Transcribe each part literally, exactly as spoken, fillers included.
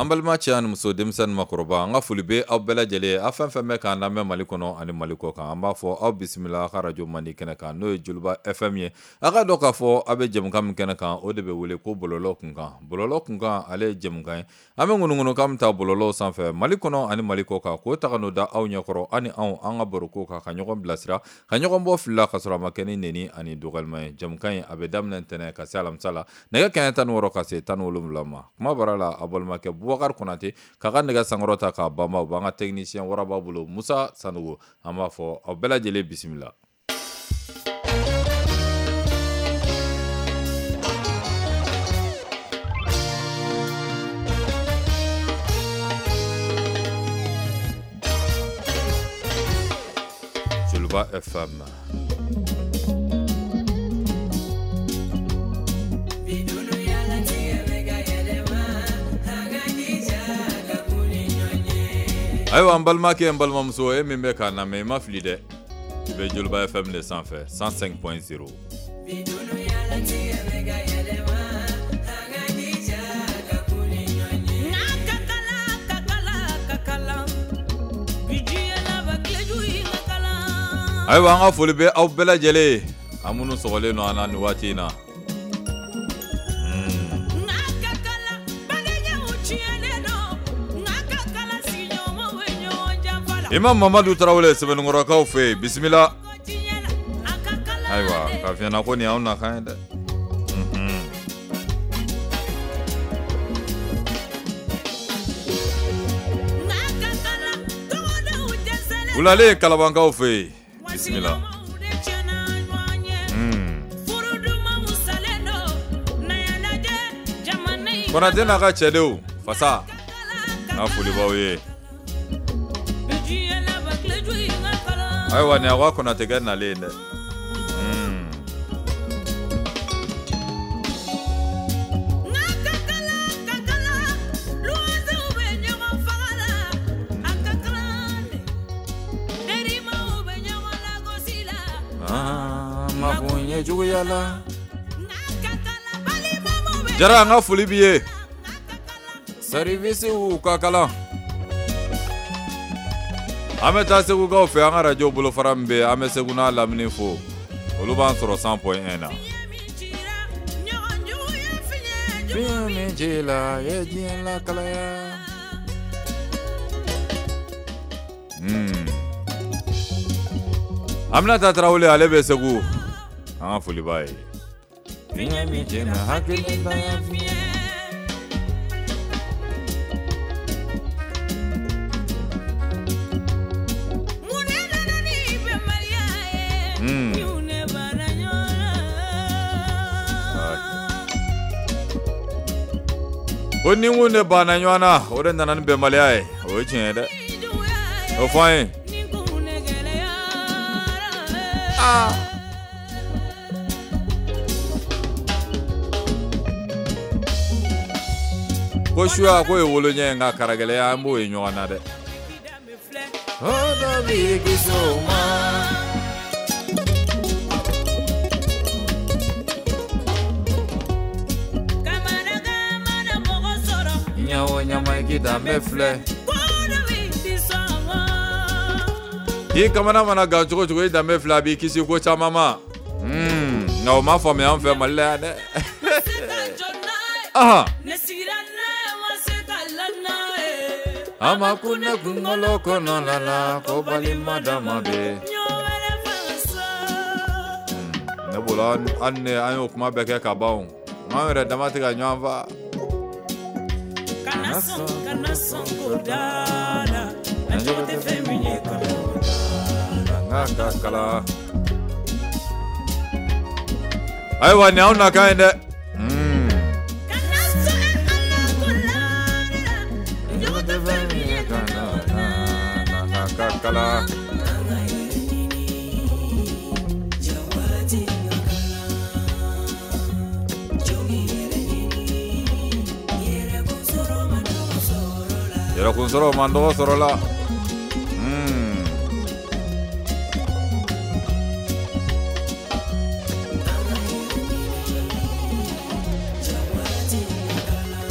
An balima cɛ ani muso, denmisɛnnin, makɔrɔba, an ka foli bɛ aw bɛɛ lajɛlen. Aw fɛn fɛn bɛ k'an lamɛn Mali kɔnɔ ani Mali kɔ kan, an b'a fɔ aw bisimila aw ka radio mandi kɛnɛ kan, n'o ye Joliba F M ye. A ka dɔn k'a fɔ aw bɛ jɛmukan min kɛnɛ kan, o de bɛ wele ko bɔlɔlɔ kunkan. Bɔlɔlɔ kunkan, ale ye jɛmukan ye an bɛ ŋunuŋunukan min ta bɔlɔlɔw sanfɛ Mali kɔnɔ ani Mali kɔ kan, k'o ta ka n'o da aw ɲɛkɔrɔ, aw ni anw, an ka baroko kan, ka ɲɔgɔn bilasira, ka ɲɔgɔn bɔ fili la, ka sɔrɔ a ma kɛ ni neni ani dɔgɔyalima ye. Jɛmukan in, a bɛ daminɛ ntɛnɛn ka se alamisa la, nɛgɛ kanɲɛ tan ni wɔɔrɔ ka se tan ni wolonwula ma. Kuma bara la, a balimakɛ Bubakari Konate k'a ka nɛgɛ sankɔrɔ ta k'a banba, o b'an ka technicien waraba bolo, Musa Sanogo. An b'a fɔ aw bɛɛ lajɛlen bisimila. Joliba F M. Ayiwa, n balimakɛ, n balimamuso, e min bɛ k'a lamɛn, i ma fili dɛ, i bɛ Joliba F M de sanfɛ, cent cinq point zéro. Ayiwa, an ka foli bɛ aw bɛɛ lajɛlen ye, an minnu sɔgɔlen don an na nin waati in na. Imam Mamadu Tarawele, Sɛbɛnnikɔrɔkaw fɛ yen, bisimila. Ayiwa, k'a f'i ɲɛna ko nin y'anw nakan ye dɛ. Unhun. Wulale Kalabankaw fɛ yen, bisimila. Hmm. Konate n'a ka cɛdenw fasa, n ka foli b'aw ye. Ayiwa, nin y'aw ka Konatekɛ nalen ye dɛ. Hmm. Ah, makun ye juguya la. Jara, an ka foli b'i ye. Service ka kalan. An bɛ taa Segukaw fɛ, an ka radio bolofara min bɛ yen, an bɛ Segu n'a lamini fo. Olu b'an sɔrɔ cent point un na. Fiɲɛ min ci la ye diɲɛ lakalaya. Hmm. Aminata Tarawele, ale bɛ Segu. An ka foli b'a ye. Fiɲɛ min ci la hakilitanya fiɲɛ. Hmm. Ko ni kun de banna ɲɔgɔn na, o de nana ni bɛnbaliya ye. O ye tiɲɛ ye dɛ, o fɔ an ye. Aa, ko suya ko ye woloɲɛ ye, nka karagɛlɛya, an b'o ye ɲɔgɔn na dɛ. O dɔ b'i kisi o ma. Ɲa o ɲama, i k'i danbe filɛ. I kamana mana gan cogo cogo, i danbe filɛ, a b'i kisi ko caman ma. Hmm, nka o ma faamuya an fɛ Mali la yan dɛ. Ahan. A ma kun ne kunkolo kɔnɔ la la ko balima dama bɛ. Ne bolo, an ne an y'o kuma bɛɛ kɛ ka ban o. An yɛrɛ dama tɛ ka ɲɔgɔn fa. Kana sɔn, kana sɔn ko da la, na jogo tɛ fɛn min ye, kana Nka ka kala. Ayiwa, nin y'anw nakan ye dɛ. Hmm. Kana sɔn ala ko la la, jogo tɛ fɛn min ye, kana Nka ka kala. An ka yɛrɛ ɲini jawati ka kalan jogi yɛrɛ ɲini yɛrɛ kun sɔrɔ ma dɔgɔ sɔrɔ la. Yɛrɛkun sɔrɔ man dɔgɔ sɔrɔ la. Hmm. An ka yɛrɛ ɲini jawati ka kalan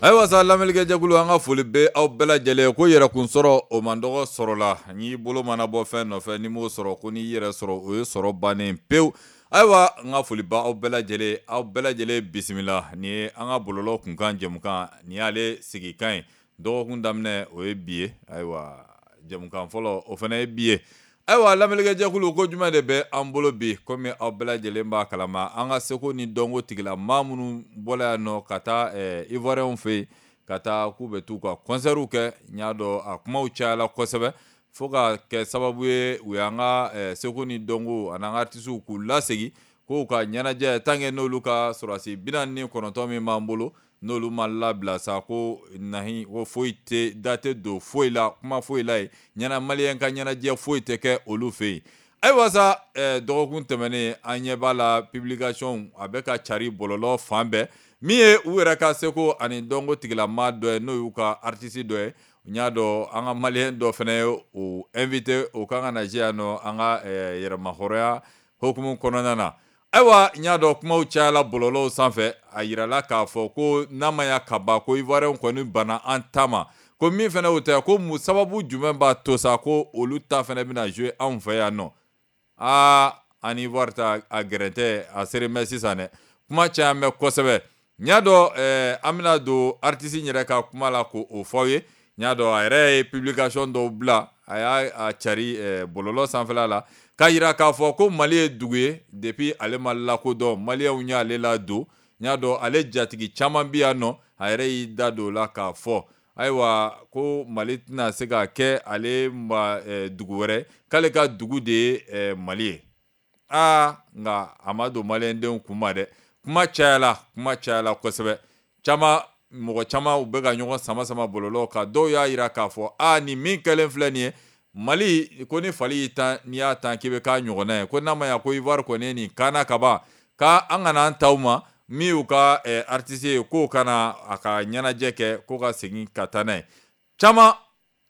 Ayiwa sa, lamɛnnikɛjɛkulu, an ka foli bɛ aw bɛɛ lajɛlen. Ko yɛrɛkun sɔrɔ, o man dɔgɔ sɔrɔ la. N'i bolo mana bɔ fɛn nɔfɛ, n'i m'o sɔrɔ, ko n'i yɛrɛ sɔrɔ, o ye sɔrɔ bannen pewu. Ayiwa, n ka foli ba aw bɛɛ lajɛlen, aw bɛɛ lajɛlen bisimila. Nin ye an ka bɔlɔlɔ kunkan jɛmukan, nin y'ale sigikan ye. Dɔgɔkun daminɛ, o ye bi ye. Ayiwa, jɛmukan fɔlɔ, o fana ye bi ye. Ayiwa, lamɛnnikɛjɛkulu, ko jumɛn de bɛ an bolo bi? Komi aw bɛɛ lajɛlen b'a kalama, an ka seko ni dɔnko tigila maa minnu bɔla yan nɔ ka taa Ivoiriyɛnw fɛ yen, ka taa k'u bɛ t'u ka concertw kɛ, n y'a dɔn a kumaw cayala kosɛbɛ, fo ka kɛ sababu ye u y'an ka seko ni dɔnko ani an ka artisiw k'u lasegin k'u ka ɲɛnajɛ, tant que n'olu ka sɔrɔdasi bi naani ni kɔnɔntɔn min b'an bolo, n'olu ma labila sa, ko nahi ko foyi tɛ da tɛ don foyi la, kuma foyi la yen, ɲɛna maliyɛn ka ɲɛnajɛ foyi tɛ kɛ olu fɛ yen. Ayiwa sa, dɔgɔkun tɛmɛnen, an ɲɛ b'a la, publication a bɛ ka cari bɔlɔlɔ fan bɛɛ. Min ye u yɛrɛ ka seko ani dɔnko tigilamaa dɔ ye, n'o y'u ka artiste dɔ ye, n y'a dɔn an ka maliyɛn dɔ fana ye o invité, o kan ka na yan nɔ an ka yɛrɛmahɔrɔnya hokumu kɔnɔna na. Ayiwa, n y'a dɔn kumaw cayala bɔlɔlɔw sanfɛ. A yirala k'a fɔ ko n'a ma ya ka ban ko Ivoiriyɛnw kɔni banna an ta ma, ko min fana o tɛ, ko mun sababu jumɛn b'a to sa ko olu ta fana bɛna jouer anw fɛ yan nɔ? Aa, an ni Ivoire ta a gɛrɛntɛ a seren bɛ sisan dɛ, kuma caman bɛ kosɛbɛ. N y'a dɔn an bɛna don artiste yɛrɛ ka kuma la k'o fɔ aw ye. N y'a dɔn a yɛrɛ ye publication dɔw bila, a y'a cari bɔlɔlɔ sanfɛla la, k'a yira k'a fɔ ko Mali ye dugu ye, depuis ale ma lakodɔn, maliyɛnw y'ale ladon. N y'a dɔn ale jatigi caman bɛ yan nɔ. A yɛrɛ y'i da don o la k'a fɔ ayiwa ko Mali tɛna se ka kɛ ale ma dugu wɛrɛ, k'ale ka dugu de ye Mali ye. Aa, nka a ma don maliyɛndenw kun ma dɛ. Kuma cayala, kuma cayala kosɛbɛ. Caman, mɔgɔ caman, u bɛ ka ɲɔgɔn sama sama bɔlɔlɔ kan. Dɔw y'a yira k'a fɔ aa, nin min kɛlen filɛ nin ye Mali, ko ni fali y'i tan, n'i y'a tan k'i bɛ k'a ɲɔgɔnna ye, ko n'a ma ɲa ko Ivoire kɔni ye nin kanna ka ban, k'an kana an taw ma min y'u ka artiste ye, k'o kana a ka ɲɛnajɛ kɛ, k'o ka segin ka taa n'a ye. Caman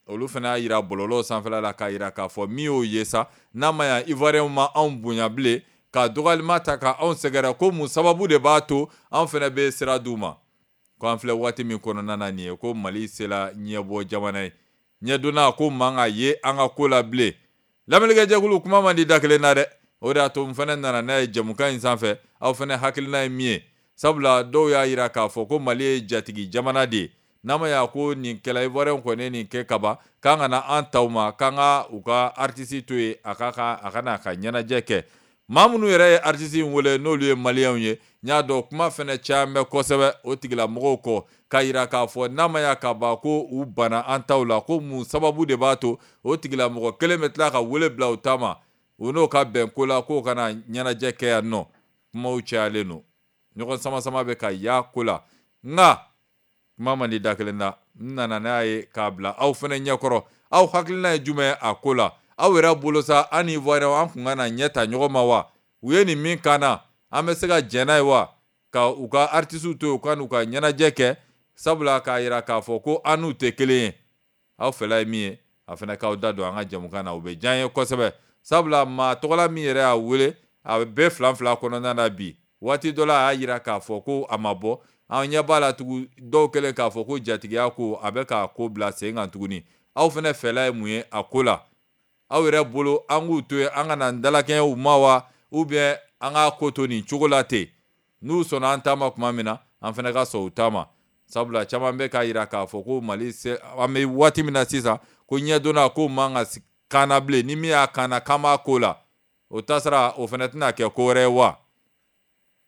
olu fana y'a yira bɔlɔlɔ sanfɛla la k'a yira k'a fɔ min y'o ye sa, n'a ma ɲa Ivoiriyɛnw ma anw bonya bilen, ka dɔgɔyalima ta ka anw sɛgɛrɛ, ko mun sababu de b'a to anw fana bɛ sira d'u ma? Ko an filɛ waati min kɔnɔna na nin ye, ko Mali sera ɲɛbɔ jamana ye, ɲɛdonna ko man ka ye an ka ko la bilen. Lamɛnnikɛjɛkulu, kuma man di da kelen na dɛ. O de y'a to n fana nana n'a ye jɛmukan in sanfɛ. Aw fana hakilina ye min ye, sabula dɔw y'a yira k'a fɔ ko Mali ye jatigi jamana de ye, n'a ma y'a ko nin kɛla, Ivoiriyɛnw kɔni ye nin kɛ kaban, k'an kana an taw ma, k'an ka u ka artiste to yen, a ka a ka n'a ka ɲɛnajɛ kɛ. Maa minnu yɛrɛ ye artiste in wele, n'olu ye maliyɛnw ye, n y'a dɔn kuma fana caman bɛ kosɛbɛ o tigilamɔgɔw kɔ, k'a yira k'a fɔ n'a ma ya ka ban ko u banna an taw la, ko mun sababu de b'a to o tigilamɔgɔ kelen bɛ tila ka wele bila u ta ma, u n'o ka bɛn ko la, k'o kana ɲɛnajɛ kɛ yan nɔ? Kumaw cayalen don, ɲɔgɔn sama sama bɛ ka ya ko la, nka kuma man di da kelen na. N nana n'a ye k'a bila aw fana ɲɛkɔrɔ. Aw hakilina ye jumɛn ye a ko la? Aw yɛrɛ bolo sa, an ni Ivoiriyɛnw, an kun ka na ɲɛ ta ɲɔgɔn ma wa? U ye nin min kan na, an bɛ se ka jɛn n'a ye wa, ka u ka artisiw to yen, u ka n'u ka ɲɛnajɛ kɛ, sabula k'a yira k'a fɔ ko an n'u tɛ kelen ye? Aw fɛla ye min ye, a fana k'aw da don an ka jɛmukan na, o bɛ diya n ye kosɛbɛ. Sabula maa tɔgɔla min yɛrɛ y'a wele, a bɛ fila fila kɔnɔna na bi, waati dɔ la a y'a yira k'a fɔ ko a ma bɔ. An ɲɛ b'a la tugun, dɔw kɛlen k'a fɔ ko jatigiya ko a bɛ k'a ko bila sen kan tuguni. Aw fana fɛla ye mun ye a ko la? Aw yɛrɛ bolo, an k'u to yen, an kana dalakɛɲɛ u ma wa, ou bien an k'a ko to nin cogo la ten, n'u sɔnna an ta ma tuma min na, an fana ka sɔn u ta ma? Sabula caman bɛ k'a yira k'a fɔ ko Mali se, an bɛ waati min na sisan, ko ɲɛdonna ko man ka kanna bilen, ni min y'a kanna k'an b'a ko la, o tasara o fana tɛna kɛ ko wɛrɛ ye wa?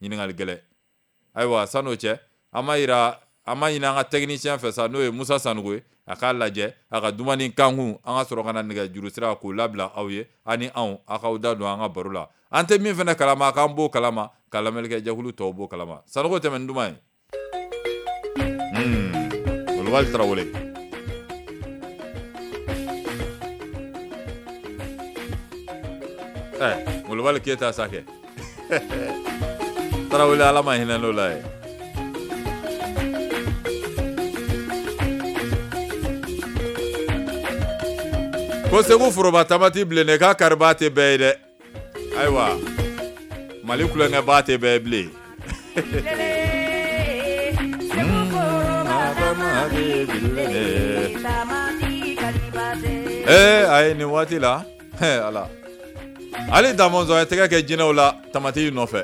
Ɲininkali gɛlɛn. Ayiwa, san'o cɛ, an ma yira, an ma ɲini an ka technicien fɛ sa, n'o ye Musa Sanogo ye, a k'a lajɛ a ka dumuni kankun, an ka sɔrɔ ka na nɛgɛjuru sira k'o labila aw ye, ani anw aw k'aw da don an ka baro la. An tɛ min fana kalama, k'an b'o kalama, ka lamɛnnikɛ jɛkulu tɔw b'o kalama. Sanogo, tɛmɛ ni duman ye. Molobali Tarawele. Ɛ, Molobali Keyita sa kɛ. Tarawele, Ala ma hinɛ n'o la ye. Ko Segu foroba tamati bilen k'a kariba tɛ bɛɛ ye dɛ. Ayiwa, Mali kulonkɛba tɛ bɛɛ ye bilen. Ee ayi nin waati la ala ale Damɔzɔn ye tɛgɛ kɛ jinɛw la tamati nɔfɛ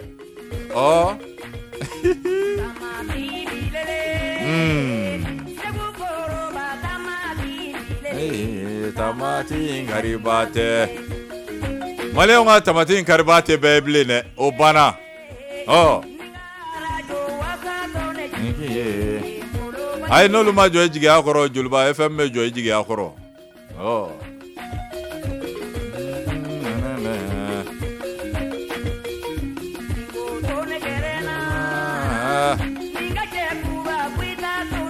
ɔ tamati in kariba tɛ maliyɛnw ka tamati in kariba tɛ bɛɛ ye bilen dɛ o banna ɔ ayi n'olu ma jɔ i jigiya kɔrɔ Joliba F M bɛ jɔ i jigiya kɔrɔ ɔ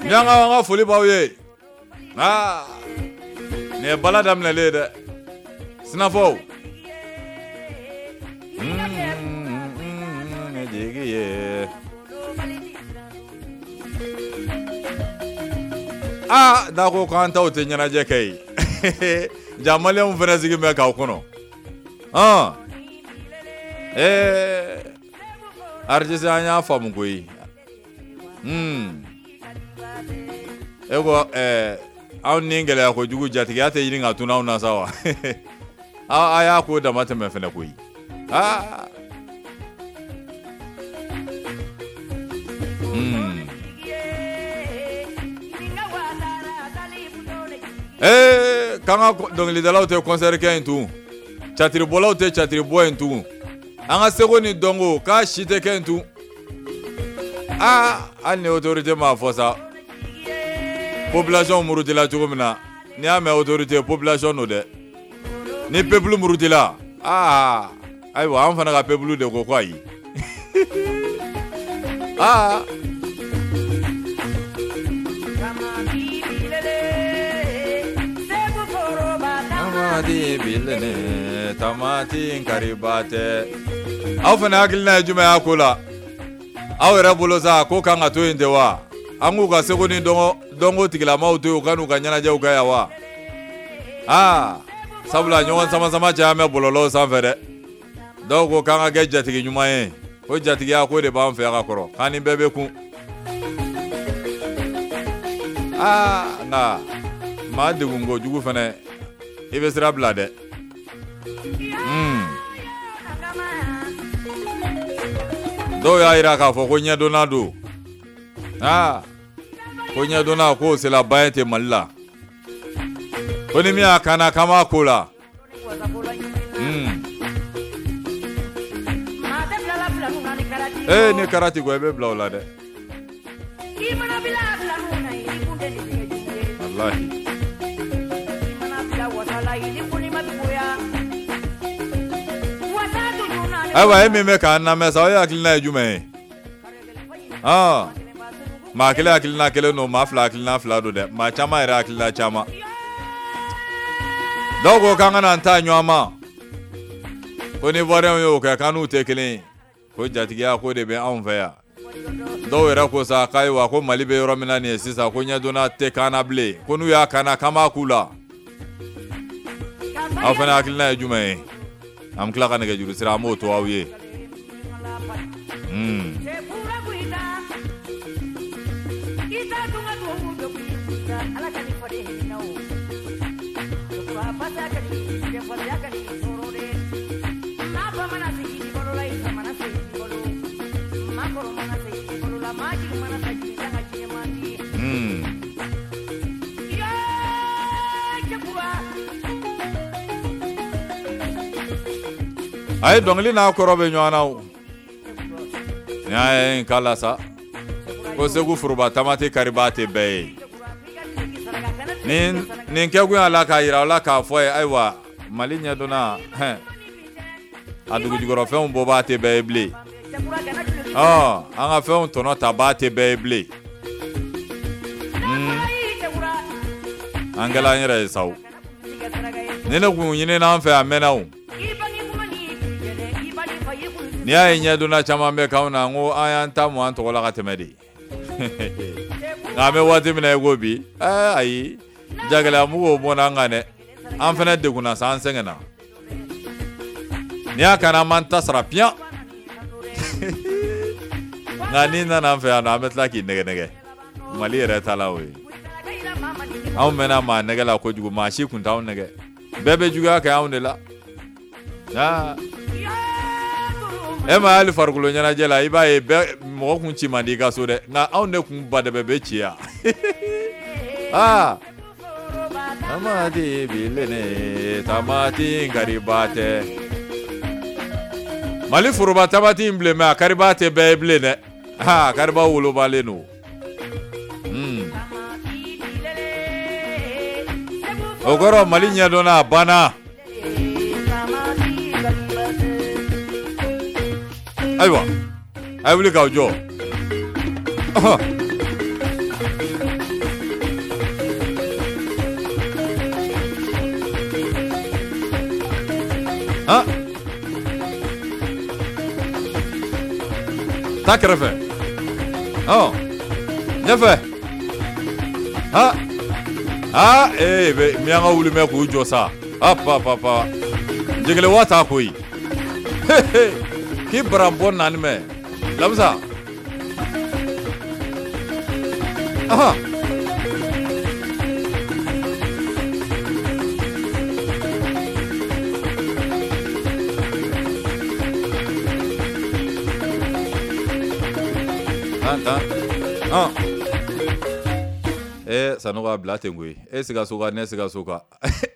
Ɲanga an ka foli b'aw ye aa nin ye bala daminɛlen ye dɛ sinafɔw jigi ye aa n'a ko k'an taw tɛ ɲɛnajɛ kɛ ye ja maliyɛnw fana sigi bɛ k'aw kɔnɔ hɔn ee artiste an y'a faamu koyi e ko ɛɛ anw ni gɛlɛya kojugu jatigiya tɛ ɲini ka tunu anw na sa wa a y'a ko dama tɛmɛ fɛnɛ koyi aa ee k'an ka dɔnkilidalaw tɛ concert kɛ yen tugun catiribɔlaw tɛ catiribɔ yen tugun an ka seko ni dɔnko k'a si tɛ kɛ yen tugun aa hali ni autorité m'a fɔ sa population murutila cogo min na n'i y'a mɛn autorité population don dɛ ni peuple murutila aa ayiwa an fana ka peuple de ko ko ayi aa tamati bilene tamati kariba tɛ aw fana hakilina ye jumɛn y'a ko la aw yɛrɛ bolo sa ko kan ka to yen de wa an k'u ka seko ni dɔnko tigilamaw to yen u ka n'u ka ɲɛnajɛw kɛ yan wa aa sabula ɲɔgɔn sama sama caya bɛ bɔlɔlɔw sanfɛ dɛ dɔw ko k'an ka kɛ jatigi ɲuman ye ko jatigiya ko de b'an fɛ yan ka kɔrɔ k'an ni bɛɛ bɛ kun aa nka maa degun kojugu fana i bɛ sira bila dɛ dɔw y'a jira k'a fɔ ko ɲɛdɔnna don aa ko ɲɛdɔnna k'o sera ba ye ten Mali la ko ni min y'a kanna k'an b'a ko la ee ni karati ko i bɛ bila o la dɛ walahi ayiwa e min bɛ k'an lamɛn sa o ye hakilina ye jumɛn ye ɔn maa kelen hakilina kelen don maa fila hakilina fila don dɛ maa caman yɛrɛ hakilina caman dɔw ko k'an kana an ta ɲɔgɔn ma ko ni Ivoiriyɛnw y'o kɛ k'an n'u tɛ kelen ye ko jatigiya ko de bɛ anw fɛ yan dɔw yɛrɛ ko sa k'ayiwa ko Mali bɛ yɔrɔ min na nin ye sisan ko ɲɛdɔnna tɛ k'an na bilen ko n'u y'a k'an na k'an b'a k'u la aw fana hakilina ye jumɛn ye an bɛ tila ka nɛgɛjuru sira an b'o to aw ye a ye dɔnkili n'a kɔrɔ bɛ ɲɔgɔn na o n y'a ye n k'a la sa ko Segu foroba tamati kariba tɛ bɛɛ ye nin nin kɛkun y'a la k'a yira aw la k'a fɔ ye ayiwa Mali ɲɛdɔnna hɛn a dugujukɔrɔfɛnw bɔbaa tɛ bɛɛ ye bilen ɔ an ka fɛnw tɔnɔ tabaa tɛ bɛɛ ye bilen an kɛla an yɛrɛ ye sa o ni ne kun ɲinina an fɛ a mɛnna o n'i y'a ye ɲɛdɔnna caman bɛ k'anw na n ko an y'an ta mɔ an tɔgɔ la ka tɛmɛ de nka an bɛ waati min na i ko bi ɛɛ ayi jagɛlɛya mugu bɔnna an kan dɛ an fana degunna sa an sɛgɛnna n'i y'a kana an b'an ta sara piyan nka n'i nana an fɛ yan nɔ an bɛ tila k'i nɛgɛ nɛgɛ Mali yɛrɛ ta la o ye. Anw mɛnna maa nɛgɛ la kojugu, maa si kun t'anw nɛgɛ. Bɛɛ bɛ juguya kɛ anw de la. Aa e ma hali farikolo ɲɛnajɛ la, i b'a ye bɛɛ mɔgɔ kun ci man di i ka so dɛ, nka anw de kun ba dɛbɛ bɛ ci yan. Aa tamati bilene tamati kariba tɛ. Mali foroba tamati in bilen mɛ a kariba tɛ bɛɛ ye bilen dɛ. Aa kariba wolobalen don. Hmm. O kɔrɔ Mali ɲɛdɔnna a banna. Ayiwa a ye wuli k'aw jɔ. Han taa kɛrɛfɛ, ɔ ɲɛfɛ, han aa ee bɛ miyanka wuli mɛ k'u jɔ sa. Hop hop hop, jɛgɛle wa ta koyi. K'i baranbɔ naani mɛ lamisa. Ahan tan tan han ee Sanogo a bila ten koyi. E Sikaso ka ne Sikaso ka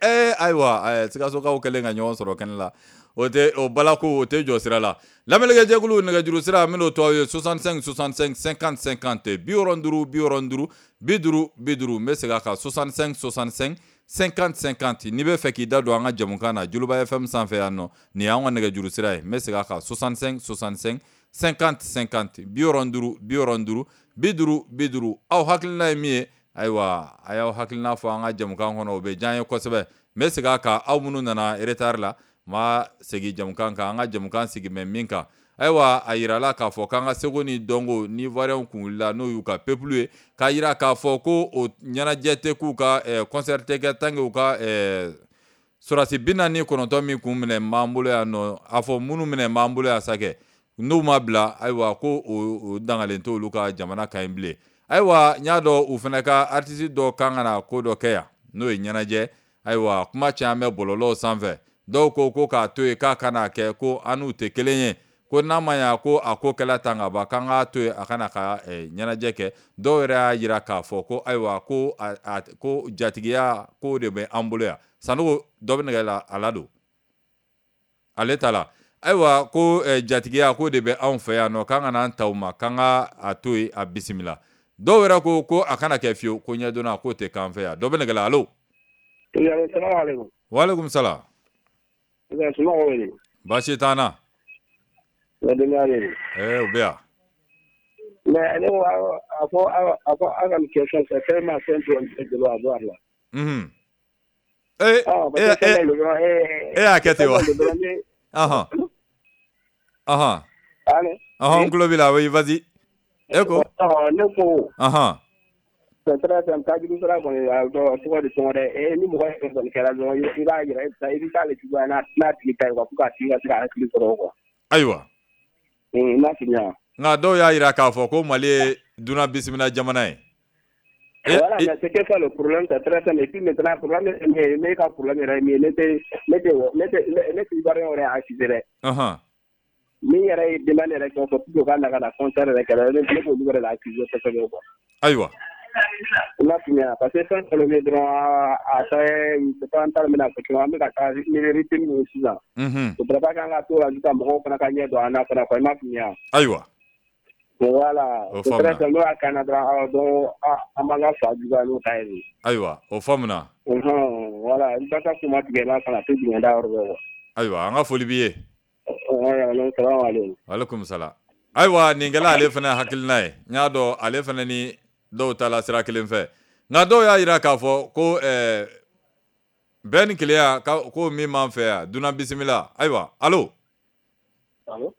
ee ayiwa Sikasokaw kɛlen ka ɲɔgɔn sɔrɔ kɛnɛ la, o tɛ o balako o tɛ jɔ sira la. Lamɛnnikɛjɛkulu nɛgɛjuru sira min to aw ye soixante-cinq soixante-cinq cinquante cinquante bi wɔɔrɔ duuru bi wɔɔrɔ duuru bi duuru bi duuru. N bɛ segin a kan soixante-cinq soixante-cinq cinquante cinquante. N'i bɛ fɛ k'i da don an ka jamukan na Joliba F M sanfɛ yan nɔ, nin y'an ka nɛgɛjuru sira ye. N bɛ segin a kan soixante-cinq soixante-cinq cinquante cinquante bi wɔɔrɔ duuru bi wɔɔrɔ duuru bi duuru bi duuru. Aw hakilina ye min ye, ayiwa a y'aw hakilina fɔ an ka jamukan kɔnɔ, o bɛ diya n ye kosɛbɛ. N bɛ segin a kan aw minnu nana retard la, ma segin jamukan kan, an ka jamukan sigi mɛ min kan. Ayiwa a yirala k'a fɔ k'an ka seko ni dɔnko ni Ivoirien kun wulila n'o y'u ka peuple ye, k'a yira k'a fɔ ko o ɲɛnajɛ tɛ k'u ka concert tɛ kɛ tant que u ka sɔrɔdasi bi naani ni kɔnɔntɔn min kun minɛ b'an bolo yan nɔ, a fɔ minnu minɛ b'an bolo yan sa kɛ, n'u ma bila ayiwa ko o dangalen t'olu ka jamana kan yen bilen. Ayiwa n y'a dɔn u fana ka artiste dɔ kan ka na ko dɔ kɛ yan n'o ye ɲɛnajɛ. Ayiwa kuma caman bɛ bɔlɔlɔw sanfɛ, dɔw ko ko k'a to yen k'a kana kɛ, ko an n'u tɛ kelen ye, ko n'a ma ɲa ko a ko kɛla tan ka ban k'an k'a to yen a kana ka ɲɛnajɛ kɛ. Dɔw yɛrɛ y'a jira k'a fɔ ko ayiwa ko a ko jatigiya ko de bɛ an bolo yan. Sanogo dɔ bɛ nɛgɛ la a la don ale ta la. Ayiwa ko jatigiya ko de bɛ anw fɛ yan nɔ, k'an kana an ta u ma, k'an ka a to yen a bisimila. Dɔw yɛrɛ ko ko a kana kɛ fiyewu, ko ɲɛdɔnna k'o tɛ k'an fɛ yan. Dɔ bɛ nɛgɛ la, alo. Waaleykum salaam. Baasi t'an na. Ee u bɛ yan. Mais ne ko a fɔ a fɔ aw ka nin question fɛ fɛn ma fɛn dɔ a bɔ a la. Unhun. Ee e y'a kɛ ten wa? Ɔhɔn. Ɔhɔn. Ɔhɔn n tulo b'i la, oui vas-y. E ko? Ne ko. Ɔhɔn. C'est très simple, tajuru sira kɔni a tɔgɔ de tɔgɔ dɛ, ni mɔgɔ yɛrɛ kɔni kɛra dɔrɔn i b'a yira i bɛ taa le juguya n'a n'a tigi ta ye quoi pour que a tigi ka se ka hakili sɔrɔ quoi. Ayiwa. I m'a faamuya. Nka dɔw y'a yira k'a fɔ ko Mali ye dunan bisimila jamana ye. Voilà, mais c'est que ça le problème, c'est très simple. Et puis maintenant, problème, ne ka problème yɛrɛ ye min ye, ne tɛ ne tɛ ne tɛ ne tɛ Ivoirien yɛrɛ accuser dɛ. Ɔhɔn. Min yɛrɛ ye demande yɛrɛ kɛ pour que u ka na ka na concert yɛrɛ kɛ ne ne b'olu yɛrɛ la accuser kosɛbɛ quoi. Ayiwa. I m'a faamuya parce que fɛn dɔ bɛ yen dɔrɔn a tɛ c'est pas an t'a dɔn n bɛna fɔ cogo min an bɛ ka taa ni rythme min ye sisan. Unhun. O pas k'an ka to la sisan mɔgɔw fana ka ɲɛ don an na fana quoi i m'a faamuya. Ayiwa. Voilà. O c'est très faamuna. simple n'o y'a k'an na dɔrɔn donc an b'an ka fa juguya n'o ta ye de. Ayiwa o faamuna. Unhun voilà i ba ka kuma tigɛ i b'a fana a tɛ jigin da yɔrɔ bɛɛ quoi. Ayiwa an ka foli b'i ye. Salamu aleykum. Aleykum salam. Ayiwa nin kɛla ale fana hakilina ye, n y'a dɔn ale fana ni dɔw ta la sira kelen fɛ, nka dɔw y'a yira k'a fɔ ko ɛɛ bɛn ni kelenya ko min b'an fɛ yan dunan bisimila. Ayiwa alo. Alo.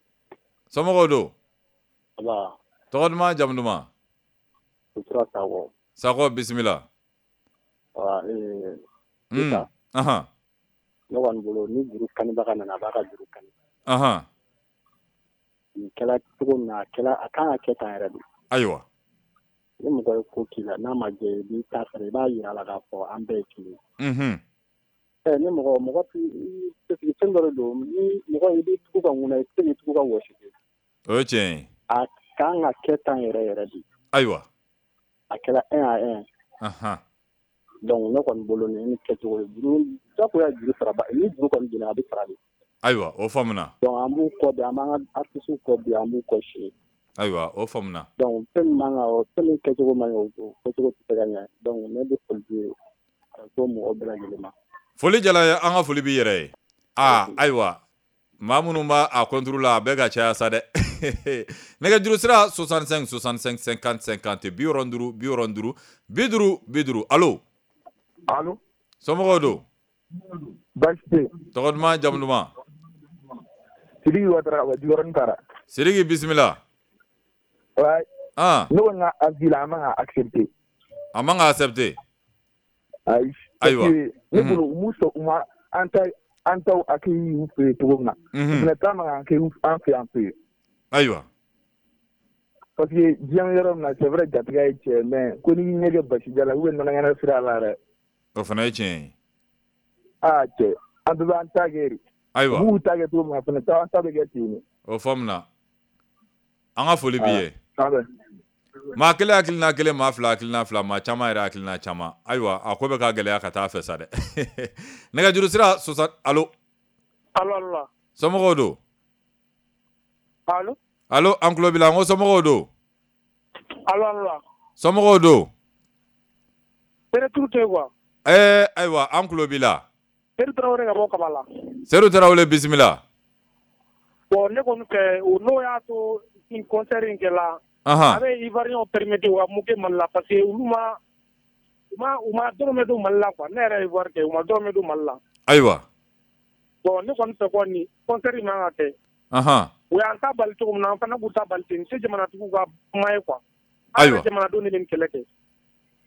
Somɔgɔw don? Aba. Tɔgɔ duman jamu duman? Sutura Sakɔ. Sakɔ bisimila. Wa ee. Un. Ahan. Ne kɔni bolo ni juru kanibaga nana a b'a ka juru kani. Ahan. Nin kɛla cogo min na a kɛla a kan ka kɛ tan yɛrɛ de. Ayiwa. Ni mɔgɔ ye ko k'i la n'a ma jɛ i b'i ta sara, i b'a jira a la k'a fɔ an bɛɛ ye kelen ye. Ni mɔgɔ mɔgɔ fɛn dɔ don, ni mɔgɔ i b'i tugu ka ŋuna, i tɛ se k'i tugu ka wɔsi. O ye tiɲɛ ye. A kan ka kɛ tan yɛrɛ yɛrɛ de. Ayiwa. A kɛra un à un. Anhan. Donc ne kɔni bolo nin ye kɛcogo ye. Juru jagoya juru sara, ni juru kɔni donna a bɛ sara de. Ayiwa, o faamuna. Donc an b'u kɔ bi, an b'an ka artistes kɔ bi, an b'u kɔ sini. Ayiwa, o faamuna. Donc fɛn min man kan, fɛn min kɛcogo man ɲi, o kɛcogo tɛ se ka ɲɛ. Donc ne bɛ foli di ko mɔgɔ bɛɛ lajɛlen ma. Foli jala ye, an ka foli b'i yɛrɛ ye. Aa ayiwa, maa minnu b'a a contre la, a bɛɛ ka caya sa dɛ. Nɛgɛjuru sira soixante-cinq soixante-cinq cinquante cinquante, bi wɔɔrɔ duuru bi wɔɔrɔ duuru bi duuru bi duuru. Allo. Allo. Somɔgɔw don? Baasi tɛ yen. Tɔgɔ duman, jamu duman? Sidiki Watara ka bɔ Jikɔrɔni Para. Sidiki, bisimila. Ouais. Ah. Ne kɔni ka avis la, an man ka accepter. A man ka accepter. Ayi. Ayiwa. Ne bolo u m'u sɔn, u ma an ta an taw accueilli u fɛ yen cogo min na. Unhun. U fana ta man ka accueilli an fɛ yan fɛ yen. Ayiwa. Parce que diɲɛ bɛ yɔrɔ min na, c'est vrai, jatigiya ye tiɲɛ, mais ko n'i ɲɛ kɛ basija la ou bien nɔnɔkɛnɛ sira la dɛ. O fana ye tiɲɛ ye. Aa cɛ, an bɛɛ b'an ta kɛ de. Ayiwa. U b'u ta kɛ cogo min na, fana an ta bɛ kɛ ten de. O faamuna. An ka foli b'i ye. Maa kelen hakilina kelen, maa fila hakilina fila, maa caman yɛrɛ hakilina caman. Ayiwa, a ko bɛ ka gɛlɛya ka taa fɛ sa dɛ. Nɛgɛjuru sira soixante. Allo. Allo, allo. Somɔgɔw don? Allo. Allo, an tulo b'i la, n ko somɔgɔw don? Allo, allo. Somɔgɔw don? Retour tɛ quoi. Ɛɛ ayiwa, an tulo b'i la. Seydou Tarawele ka bɔ Kabala. Seydou Tarawele, bisimila. Bon, ne kɔni fɛ, n'o y'a to nin concert in kɛla. Ahan. A bɛ Ivoiriens permettre u ka mun kɛ Mali la, parce que olu ma u ma u ma dɔrɔmɛ don Mali la quoi. Ne yɛrɛ ye Ivoire kɛ, u ma dɔrɔmɛ don Mali la. Ayiwa. Bon, ne kɔni fɛ kɔni concert in man ka kɛ. Ahan. U y'an ta bali cogo min na, an fana k'u ta bali ten. Nin tɛ jamanatigiw ka kuma ye quoi. Ayiwa. An yɛrɛ jamanadenw de bɛ nin kɛlɛ kɛ.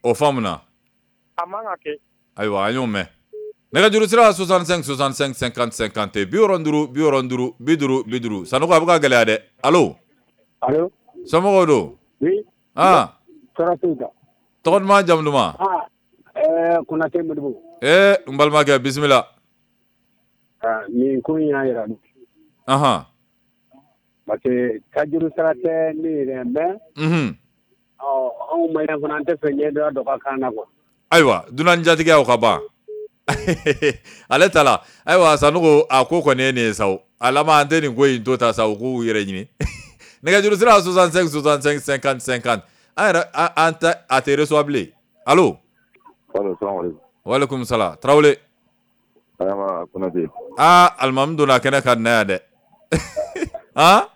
O faamuna. A man ka kɛ. Ayiwa, an y'o mɛn. Nɛgɛjuru sira soixante-cinq soixante-cinq cinquante cinquante, bi wɔɔrɔ duuru bi wɔɔrɔ duuru bi duuru bi duuru. Sanogo, a bɛ ka gɛlɛya dɛ. Allo. Allo. Somɔgɔw don? Oui. Ah. Tɔɔrɔ t'u kan. Tɔgɔ duman, jamu duman? Ah, ɛɛ Konate Modibo. Ee n balimakɛ, bisimila. Ah, nin ko in y'a yira. Ahan. Parce que tajuru sara tɛ ne yɛrɛ mais. Unhun. Ɔ anw maliyɛn fana, an tɛ fɛ ɲɛ dɔ dɔ ka k'an na quoi. Ayiwa, dunan jatigiyaw ka ban. Ale ta la. Ayiwa, Sanogo, a ko kɔni ye nin ye sa o. A laban an tɛ nin ko in to ta sa, u k'u yɛrɛ ɲini. Nɛgɛjuru sira soixante-cinq soixante-cinq cinquante cinquante. An yɛrɛ an tɛ a tɛ reçoit bilen. Allo. Allo, salamu aleykum. Walekum salam. Tarawele. Adama Konate. Aa, alimami donna kɛnɛ kan nin na yan dɛ. Han?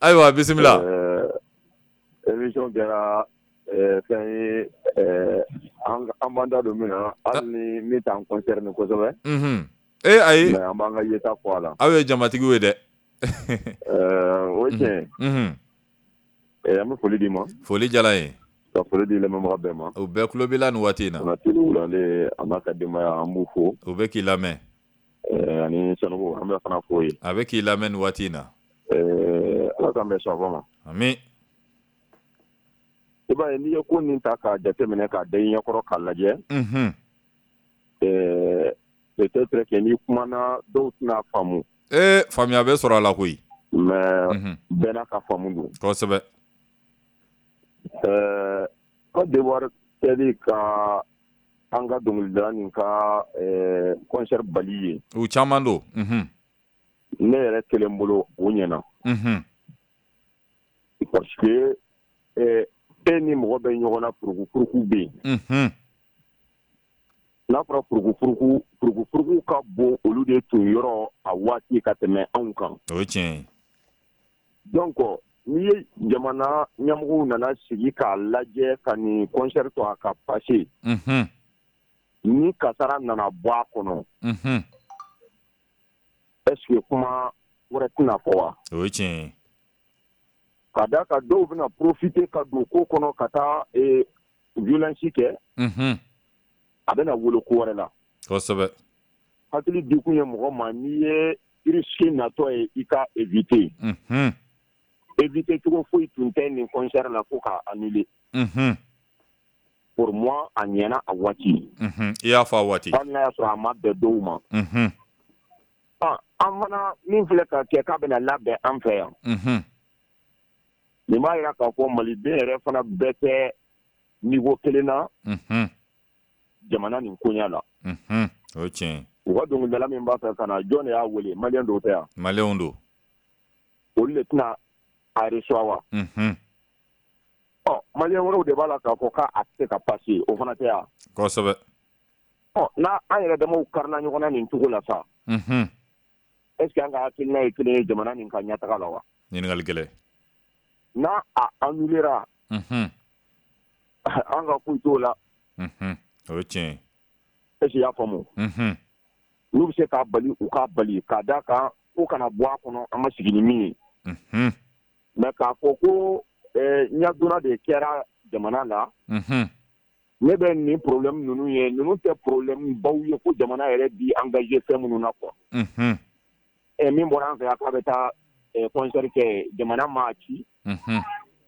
Ayiwa, bisimila. Ɛɛ émission kɛra fɛn ye, an b'an da don min na, hali ni min t'an concerné kosɛbɛ. Unhun. Ee ayi. Mais an b'an ka yeta fɔ a la. Aw ye jamatigiw ye dɛ. O ye tiɲɛ ye. Unhun. An bɛ foli d'i ma. Foli diyara n ye. Ka foli di lamɛnbaga bɛɛ ma. U bɛɛ tulo b'i la nin waati in na. Konate Wulale a n'a ka denbaya, an b'u fo. U bɛ k'i lamɛn. Ani Sanogo, an bɛ fana fo ye. A bɛ k'i lamɛn nin waati in na. Ala k'an bɛn sababa ma. Ami. I b'a ye, n'i ye ko nin ta k'a jateminɛ k'a da i ɲɛkɔrɔ k'a lajɛ. Unhun. Ɛɛ peut-être que n'i kumana dɔw tɛna faamu. Ee faamuya bɛ sɔrɔ a la koyi. Mais bɛɛ n'a ka faamu don. Kosɛbɛ. Ɛɛ Côte d'Ivoire kɛli ka an ka dɔnkilidala nin ka concert bali ye. U caman don. Unhun. Ne yɛrɛ kelen bolo, o ɲɛna. Unhun. Parce que ɛɛ e ni mɔgɔ bɛ ɲɔgɔn na, furukufuruku bɛ yen. Unhun. N'a fɔra furukufuruku, furukufuruku ka bon olu de tun yɔrɔ a waati ka tɛmɛ anw kan. O ye tiɲɛ ye. Donc n'i ye jamana ɲɛmɔgɔw nana sigi k'a lajɛ ka nin concert to a ka passer. Unhun. Ni kasara nana bɔ a kɔnɔ. Unhun. Est-ce que kuma wɛrɛ tɛna fɔ wa? O ye tiɲɛ ye. Ka d'a kan dɔw bɛna profiter ka don ko kɔnɔ ka taa violence kɛ. Unhun. A bɛna wolo ko wɛrɛ la. Kosɛbɛ. Hakili dikun ye mɔgɔ ma, n'i ye risque natɔ ye, i ka éviter. Unhun. Éviter cogo foyi tun tɛ nin concert la fo k'a annuler. Unhun. Pour moi, a ɲɛna a waati. I y'a fɔ a waati. Hali n'a y'a sɔrɔ a ma bɛn dɔw ma. An fana min filɛ ka kɛ k'a bɛna labɛn an fɛ yan. Nin b'a jira k'a fɔ maliden yɛrɛ fana bɛɛ tɛ niveau kelen na. Jamana nin koɲɛ la. O ye tiɲɛ ye. U ka dɔnkilidala min b'a fɛ ka na, jɔn de y'a wele? Maliyɛn dɔw tɛ yan? Maliyɛnw don. Olu de tɛna a reçoit wa? Ɔ, maliyɛn wɛrɛw de b'a la k'a fɔ k'a tɛ se ka passer, o fana tɛ yan? Kosɛbɛ. Ɔ, n'a an yɛrɛ damaw karila ɲɔgɔn na nin cogo la sa. Est ce que an ka hakilina ye kelen ye jamana nin ka ɲɛtaga la wa? Ɲininkali gɛlɛn. N'a a annulera. An ka foyi t'o la. O ye tiɲɛ ye. Est ce que i y'a faamu? N'u bɛ se k'a bali, u k'a bali, k'a d'a kan ko kana bɔ a kɔnɔ, an ma sigi ni min ye. Mais k'a fɔ ko ɲɛdonna de kɛra jamana la. Ne bɛ nin problème ninnu ye, ninnu tɛ problème baw ye ko jamana yɛrɛ bi engagé fɛn minnu na quoi. Ɛ, min bɔra an fɛ yan k'a bɛ taa concert kɛ, jamana m'a ci.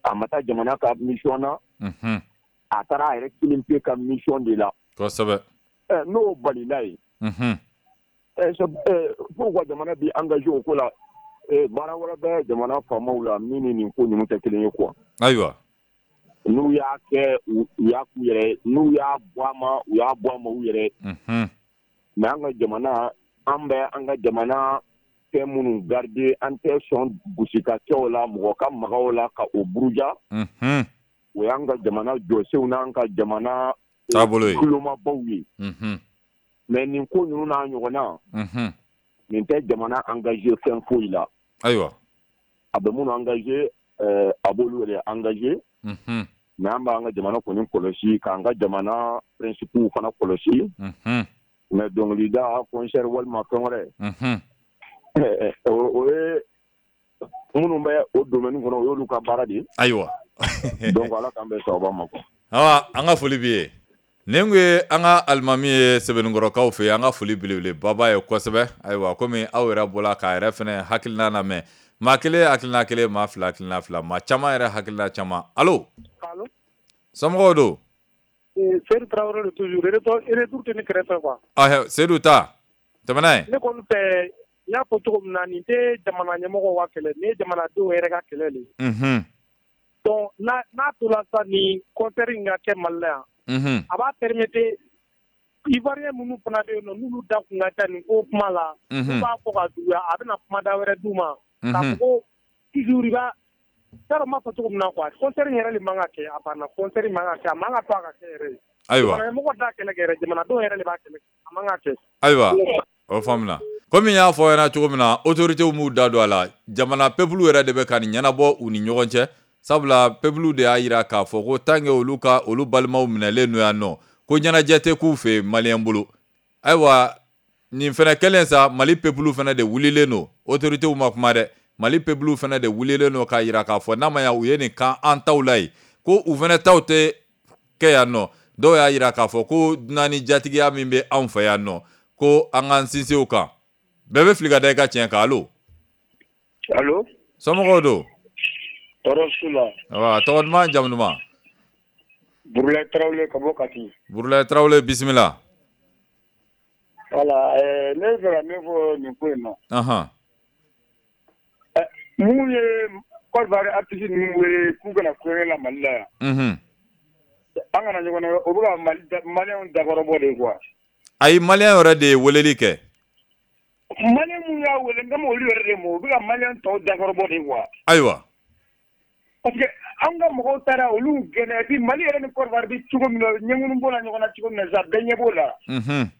A ma taa jamana ka mission na. A taara a yɛrɛ kelen pe ka mission de la. Kosɛbɛ. Ɛ, n'o balila yen. Ɛ, pourquoi jamana bi engagé o ko la? Baara wɛrɛ bɛ jamana faamaw la min ni nin ko ninnu tɛ kelen ye quoi. Ayiwa. N'u y'a kɛ, u y'a k'u yɛrɛ, n'u y'a bɔ a ma, u y'a bɔ a ma u yɛrɛ. Mais an ka jamana, an bɛ an ka jamana fɛn minnu garder, an tɛ sɔn gosi ka kɛ o la, mɔgɔ ka maga o la ka o buruja. O y'an ka jamana jɔsenw n'an ka jamana taabolo ye, kulomabaw ye. Mais nin ko ninnu n'a ɲɔgɔnna, nin tɛ jamana engagé fɛn foyi la. Ayiwa. A bɛ minnu engagé, a b'olu yɛrɛ engagé. Mais an b'an ka jamana kɔni kɔlɔsi, k'an ka jamana principes fana kɔlɔsi. Mais dɔnkilida, concert walima fɛn wɛrɛ, o ye minnu bɛ o domaine kɔnɔ, o y'olu ka baara de ye. Ayiwa. Donc Ala k'an bɛn sababa ma quoi. Awa, an ka foli b'i ye. Nin kun ye an ka alimami ye Sɛbɛnnikɔrɔkaw fɛ yen, an ka foli belebeleba ye kosɛbɛ. Ayiwa, komi aw yɛrɛ bɔra k'a yɛrɛ fɛnɛ hakilina lamɛn. Maa kelen hakilina kelen, maa fila hakilina fila, maa caman yɛrɛ hakilina caman. Allo. Allo. Somɔgɔw don? Seydou Traoré toujours, retour tɛ ne kɛrɛfɛ quoi. Ah, Seydou ta, tɛmɛ n'a ye. Ne kɔni fɛ, n y'a fɔ cogo min na, nin tɛ jamana ɲɛmɔgɔw ka kɛlɛ, nin ye jamanadenw yɛrɛ ka kɛlɛ de ye. Unhun. Donc n'a n'a tora sa nin concert in ka kɛ Mali la yan. Unhun. A b'a permettre Ivoirien minnu fana bɛ yen nɔ, n'olu da kun ka ca nin ko kuma la. Unhun. N'u b'a fɔ ka juguya, a bɛna kumada wɛrɛ d'u ma. Unhun. K'a fɔ ko toujours i b'a, t'a dɔn n b'a fɔ cogo min na quoi, concert in yɛrɛ de man ka kɛ, a banna, concert in man ka kɛ, a man ka to a ka kɛ yɛrɛ. Ayiwa. Jamana ɲɛmɔgɔ t'a kɛlɛ kɛ yɛrɛ, jamanadenw yɛrɛ de b'a kɛlɛ kɛ, a man ka kɛ. Ayiwa, o faamuna. Komi n y'a fɔ aw ɲɛna cogo min na, autorités m'u da don a la, jamana peuple yɛrɛ de bɛ ka nin ɲɛnabɔ u ni ɲɔgɔn cɛ. Sabula peuple de y'a jira k'a fɔ ko tant que olu ka olu balimaw minɛlen don yan nɔ, ko ɲɛnajɛ tɛ k'u fɛ yen maliyɛn bolo. Ayiwa, nin fɛnɛ kɛlen sa, Mali peuple fɛnɛ de wulilen don, autorités ma kuma dɛ, Mali peuple fɛnɛ de wulilen don k'a jira k'a fɔ n'a ma ɲa u ye nin kan an taw la yen, ko u fɛnɛ taw tɛ kɛ yan nɔ. Dɔw y'a jira k'a fɔ ko dunan ni jatigiya min bɛ anw fɛ yan nɔ, ko an k'an sinsin o kan. Bɛɛ bɛ fili ka da i ka tiɲɛ kan. Allo. Allo. Somɔgɔw don? Tɔɔrɔ su la. Awa, tɔgɔ duman, jamu duman? Burulayi Tarawele ka bɔ Kati. Burulayi Tarawele, bisimila. Voilà, ɛɛ ne bɛ fɛ ka min fɔ nin ko in na. Anhan. Ɛ, mun ye Côte d'Ivoire artiste ninnu wele k'u kana kulonkɛ la Mali la yan. Unhun. An kana ɲɔgɔn na, o bɛ ka Mali maliyɛnw dakɔrɔbɔ de quoi. Ayi, maliyɛn yɛrɛ de ye weleli kɛ. Maliyɛn minnu y'a wele, n kan b'olu yɛrɛ de ma, u bɛ ka maliyɛn tɔw dakɔrɔbɔ de quoi. Ayiwa. Parce que an ka mɔgɔw taara olu gɛnɛ, et puis Mali yɛrɛ ni Côte d'Ivoire bɛ cogo min na, ɲɛŋunu b'o la ɲɔgɔn na cogo min na sisan, bɛɛ ɲɛ b'o la. Unhun.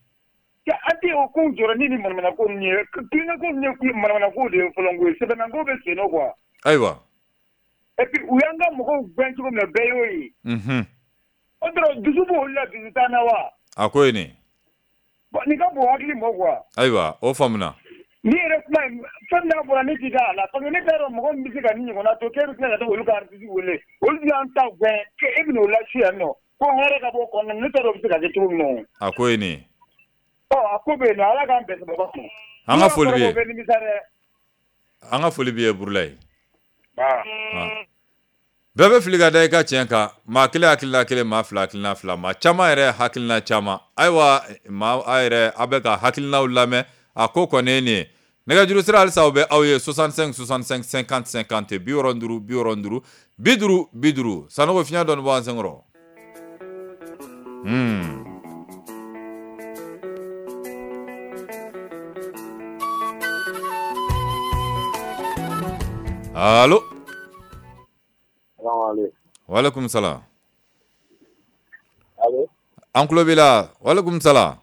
An tɛ o kow jɔrɔ ni ni manamana ko ninnu ye, kulonkɛ ko ninnu ye manamana ko de ye fɔlɔ koyi, sɛbɛnna ko bɛ sen nɔ quoi. Ayiwa. Et puis u y'an ka mɔgɔw gɛn cogo min na, bɛɛ y'o ye. Unhun. O dɔrɔn dusu b'olu la, dusu t'an na wa? A ko ye nin. Bon, nin ka bon hakili ma quoi. Ayiwa, o faamuna. Ni yɛrɛ kuma in, fɛn n'a bɔra ne t'i da a la, parce que ne t'a dɔn mɔgɔ min bɛ se ka nin ɲɔgɔnna to k'e bɛ tila ka taa olu ka artiste wele, olu y'an ta gɛn k'e bɛ n'o lase yan nɔ, ko hɛrɛ ka bɔ o kɔnɔna na, ne t'a dɔn o bɛ se ka kɛ cogo min na o. A ko ye nin. Ɔ, a ko bɛ yen nɔ, Ala k'an bɛn sababa ma. An ka foli b'i ye. O bɛ nimisa dɛ. An ka foli b'i ye Burulayi. Aa. Bɛɛ bɛ fili ka da i ka tiɲɛ kan, maa kelen hakilina kelen, maa fila hakilina fila, maa caman yɛrɛ hakilina caman. Ayiwa, maa a yɛrɛ a bɛ ka hakilinaw lamɛn, a ko kɔni ye nin ye. Nɛgɛjuru sira halisa o bɛ aw ye soixante-cinq soixante-cinq cinquante cinquante bi wɔɔrɔ duuru bi wɔɔrɔ duuru bi duuru bi duuru. Sanogo fiɲɛ dɔɔni bɔ an senkɔrɔ. Hmm. Allo. Waaleykum salam. Allo. An tulo b'i la. Waaleykum salam.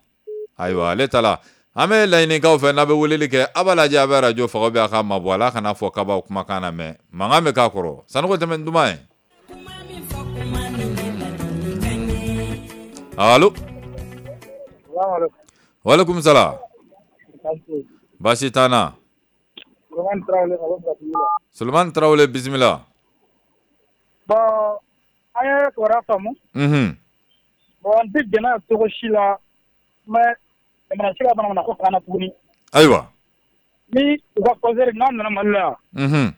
Ayiwa, ale ta la. An bɛ laɲinikaw fɛ n'a bɛ weleli kɛ, a b'a lajɛ a bɛ arajo faga bɛ a ka mabɔ a la, a kana fɔ k'a b'aw kumakan na mɛn. Mankan bɛ k'a kɔrɔ. Sanogo tɛmɛ duman ye. Allo. Waaleykum salam. Baasi t'an na. Sulemani Tarawele, bisimila. Bon, an ye kibaruya faamu. Unhun. Bon, n tɛ jɛn n'a ye cogo si la, mais jamana si ka bana ko kana tuguni. Ayiwa. Ni u ka concert n'a nana Mali la yan. Unhun.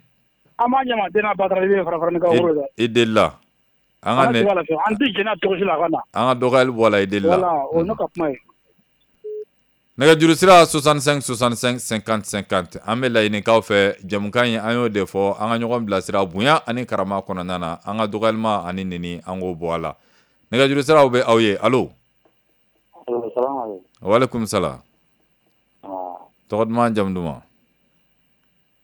An b'a ɲamaden n'a batara i bɛ fara fara ni ka woro dɛ. I delila. An ka ne. An tɛ jɛn n'a cogo si la a ka na. An ka dɔgɔyali bɔ a la, i delila. Voilà, o ye ne ka kuma ye. Nɛgɛjuru sira soixante-cinq soixante-cinq cinquante cinquante. An bɛ laɲinikaw fɛ jɛmukan in, an y'o de fɔ, an ka ɲɔgɔn bilasira bonya ani karama kɔnɔna na, an ka dɔgɔyalima ani neni an k'o bɔ a la. Nɛgɛjuru siraw bɛ aw ye. Allo. Waaleykum salam. Tɔgɔ duman, jamu duman?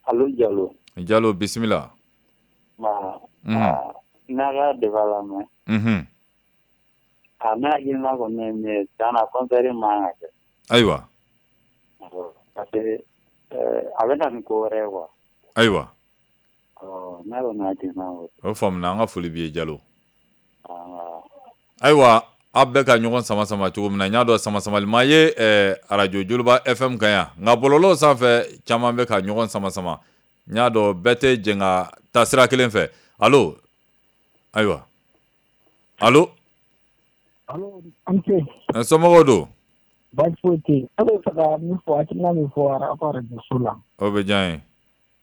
Allo, Jalo. Jalo, bisimila. N'a ka débat lamɛn. Unhun. A ne hakilina kɔni ye min ye, tiɲɛ na concert man kan ka kɛ. Ayiwa. Parce que a bɛ na ni ko wɛrɛ ye quoi. Ayiwa. Ne kɔni hakilina y'o ye. O faamuna, an ka foli b'i ye Jalo. Ayiwa, aw bɛ ka ɲɔgɔn sama sama cogo min na, n y'a dɔn sama samali ma ye arajo Joliba F M kan yan, nka bɔlɔlɔw sanfɛ caman bɛ ka ɲɔgɔn sama sama. N y'a dɔn bɛɛ tɛ jɛn ka taa sira kelen fɛ. Allo. Ayiwa. Allo. Allo, an ce. Somɔgɔw don? Baasi foyi tɛ yen. Ne bɛ fɛ ka min fɔ, hakilina min fɔ aw ka arajoso la. O bɛ diya n ye.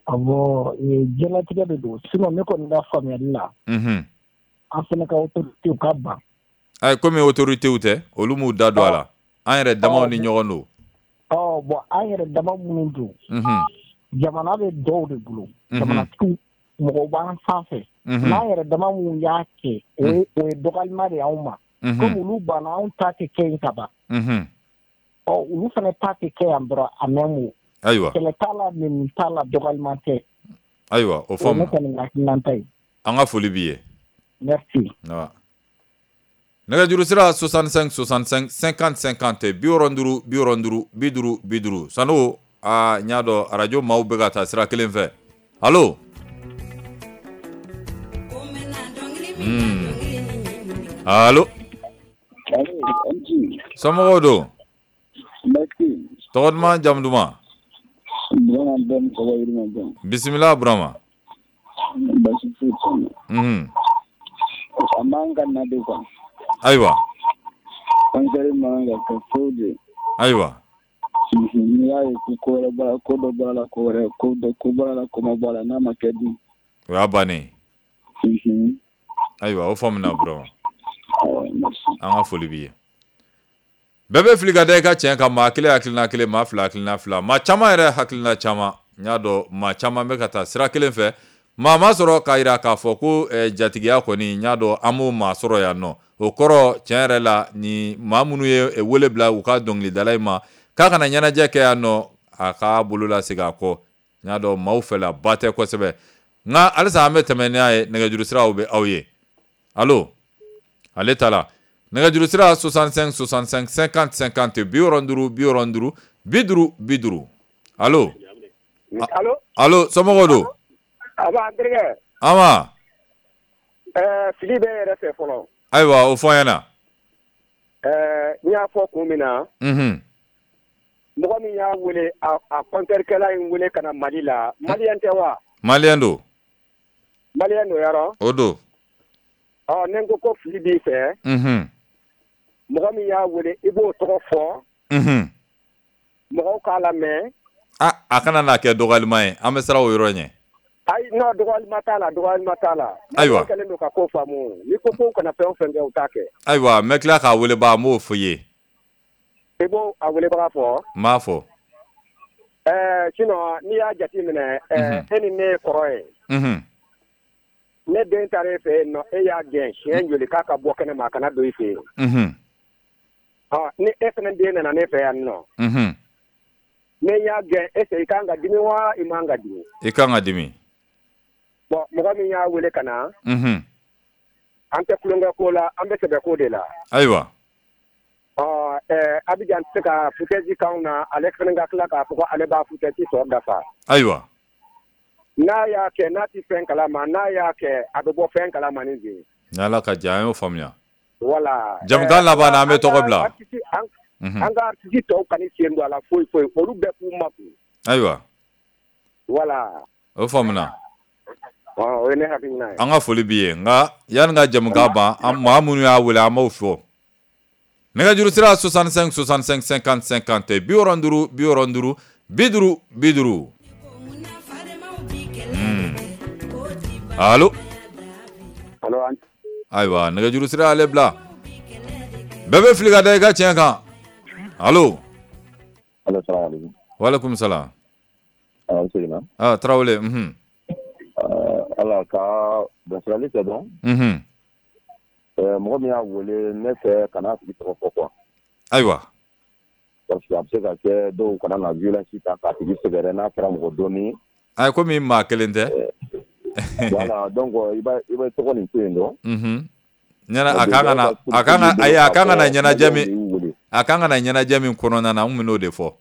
Awɔ, diɲɛlatigɛ de don. Sinon ne kɔni ka faamuyali la. Unhun. An fana ka autorité ka ban. Ayi, komi autorité tɛ, olu m'u da don a la. An yɛrɛ damaw ni ɲɔgɔn don. Ɔ bon, an yɛrɛ dama minnu don. Unhun. Jamana bɛ dɔw de bolo. Jamanatigiw mɔgɔw b'an sanfɛ. N'an yɛrɛ dama minnu y'a kɛ, o ye o ye dɔgɔyalima de y'anw ma. Komi olu banna, anw ta tɛ kɛ yen ka ban. Unhun. Ɔ olu fana ta tɛ kɛ yan dɔrɔn, a mɛn o. Ayiwa. Kɛlɛ t'a la, nɛni t'a la, dɔgɔyalima tɛ. Ayiwa, o faamu. O ye ne kɔni hakilinata ye. An ka foli b'i ye. Merci. Nɛgɛjuru sira soixante-cinq soixante-cinq cinquante cinquante bi wɔɔrɔ duuru bi wɔɔrɔ duuru bi duuru bi duuru. Sanogo, aa n y'a dɔn arajo maaw bɛ ka taa sira kelen fɛ. Allo. Hmm. Allo. Somɔgɔw don? Tɔgɔ duman, jamu duman? Bisimila Burama. Unhun. A man ka na de quoi. Ayiwa. Concert man ka kɛ foyi de. Ayiwa. N'i y'a ye ko wɛrɛ bɔra, ko dɔ bɔra la, ko wɛrɛ, ko dɔ ko bɔra la, ko ma bɔ a la, n'a ma kɛ dun. O y'a bannen. Ayiwa, o faamuna Burama. An ka foli b'i ye. Bɛɛ bɛ fili ka da i ka tiɲɛ kan, maa kelen hakilina kelen, maa fila hakilina fila, maa caman yɛrɛ hakilina caman. N y'a dɔn maa caman bɛ ka taa sira kelen fɛ. Maa ma sɔrɔ k'a jira k'a fɔ ko jatigiya kɔni, n y'a dɔn an b'o maa sɔrɔ yan nɔ. O kɔrɔ tiɲɛ yɛrɛ la, ni maa minnu ye wele bila u ka dɔnkilidala in ma k'a kana ɲɛnajɛ kɛ yan nɔ, a k'a bolo lasegin a kɔ. N y'a dɔn maaw fɛla ba tɛ kosɛbɛ, nka halisa an bɛ tɛmɛ n'a ye. Nɛgɛjuru siraw bɛ aw ye. Allo. Ale ta la. Nɛgɛjuru sira soixante-cinq soixante-cinq cinquante cinquante bi wɔɔrɔ duuru bi wɔɔrɔ duuru bi duuru bi duuru. Allo. Allo. Allo, somɔgɔw don? A b'a n terikɛ. Anba. Ɛɛ fili bɛ yɛrɛ fɛ fɔlɔ. Ayiwa, o fɔ an ɲɛna. Ɛɛ n y'a fɔ kun min na. Unhun. Mɔgɔ min y'a wele, a a compteur-kɛla in wele ka na Mali la, maliyɛn tɛ wa? Maliyɛn don. Maliyɛn don yɔrɔ? O don. Ɔ ne ko ko fili b'i fɛ. Unhun. Mɔgɔ min y'a wele, i b'o tɔgɔ fɔ. Unhun. Mɔgɔw k'a lamɛn. A a kana n'a kɛ dɔgɔyalima ye, an bɛ siran o yɔrɔ ɲɛ. Ayi non dɔgɔyalima t'a la dɔgɔyalima t'a la. Ayiwa. Kɛlen don ka ko faamu n'i ko ko kana fɛn o fɛn kɛ u t'a kɛ. Ayiwa n bɛ tila k'a wele ba n b'o fɔ i ye. I b'o a welebaga fɔ. N b'a fɔ. Ɛɛ sinon n'i y'a jate minɛ ɛɛ e ni ne ye kɔrɔ ye. Unhun. Ne den taara e fɛ yen nɔ e y'a gɛn siɲɛ joli k'a ka bɔ kɛnɛ ma a kana don i fɛ yen. Unhun. Ɔ ni e fana den nana ne fɛ yan nɔ. Unhun. Ne y'a gɛn est ce que i kan ka dimi wa i man ka dimi. I kan ka dimi. Bon mɔgɔ min y'a wele ka na. Unhun. An tɛ tulonkɛ ko la an bɛ sɛbɛ ko de la. Ayiwa. Ɔ ɛɛ Abidjan tɛ se ka foutaise k'anw na ale fana ka tila k'a fɔ ko ale b'a foutaise tɔ dafa. Ayiwa. N'a y'a kɛ n'a tɛ fɛn kalama n'a y'a kɛ a bɛ bɔ fɛn kalama ni zen. Ni Ala ka jɛ an y'o faamuya. Voilà. Jamukan laban na an bɛ tɔgɔ bila. An ka artiste tɔw kana sen don a la foyi foyi olu bɛɛ k'u makun. Ayiwa. Voilà. O faamuna. O ye ne hakilina ye. An ka foli b'i ye nka yanni ka jamukan ban an maa minnu y'a wele an b'o fɔ. Nɛgɛjuru sira soixante-cinq soixante-cinq cinquante cinquante bi wɔɔrɔ duuru bi wɔɔrɔ duuru bi duuru bi duuru. Allo. Ayiwa nɛgɛjuru sira y'ale bila. Bɛɛ bɛ fili ka da i ka tiɲɛ kan. Allo. Allo salaamaaleykum. Waaleykum salaam. An seginna. Ah Tarawele unhun. Ala ka bilasirali kɛ dɔrɔn. Unhun. Mɔgɔ min y'a wele ne fɛ kana tigi tɔgɔ fɔ quoi. Ayiwa. Parce que a bɛ se ka kɛ dɔw kana na violence ta k'a tigi sɛgɛrɛ n'a kɛra mɔgɔ dɔɔni. Ayi komi maa kelen tɛ. Voilà donc i b'a i bɛ tɔgɔ nin to yen dɔrɔn. Unhun. Ɲɛna a kan ka na a kan ka ayi a kan ka na ɲɛnajɛ min a kan ka na ɲɛnajɛ min kɔnɔna na n kun bɛn'o de fɔ.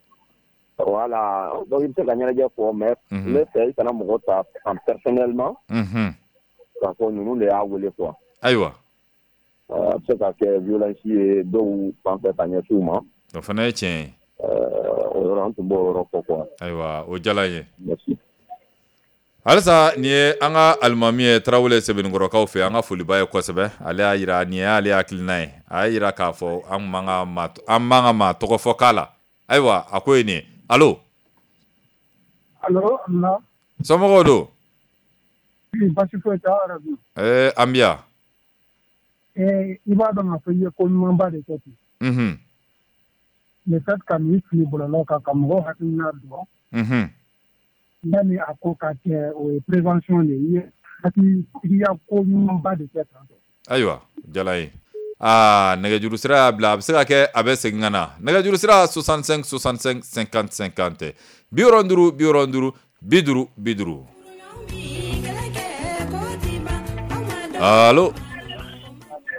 Voilà donc i bɛ se ka ɲɛnajɛ fɔ mais ne fɛ i kana mɔgɔ ta en personnellement. Unhun. K'a fɔ ninnu de y'a wele quoi. Ayiwa. A bɛ se ka kɛ violence ye dɔw fan fɛ ka ɲɛsin u ma. O fana ye tiɲɛ ye. O yɔrɔ an tun b'o yɔrɔ fɔ quoi. Ayiwa o diyara n ye. Merci. Halisa nin ye an ka alimami ye Tarawele Sebenikɔrɔkaw fɛ an ka foliba ye kosɛbɛ ale y'a jira nin y'ale hakilina ye a y'a jira k'a fɔ an man ka maa an man ka maa tɔgɔ fɔ k'a la ayiwa a ko ye nin ye allo. Allo na. Somɔgɔw don. Baasi foyi tɛ aw yɛrɛ dun. Ɛɛ an bɛ yan. Ɛɛ i b'a dɔn k'a fɔ i ye ko ɲumanba de kɛ ten. Unhun. Le fait ka nin fili bɔlɔlɔ kan ka mɔgɔw hakilina dɔn. Unhun. Yanni a ko ka kɛ o ye prévention de ye hakilitigiya ko ɲumanba de kɛ tan. Ayiwa jala ye aa nɛgɛjuru sira y'a bila a bɛ se ka kɛ a bɛ segin ka na nɛgɛjuru sira soixante-cinq soixante-cinq cinquante cinquante bi wɔɔrɔ duuru bi wɔɔrɔ duuru bi duuru bi duuru. Allo.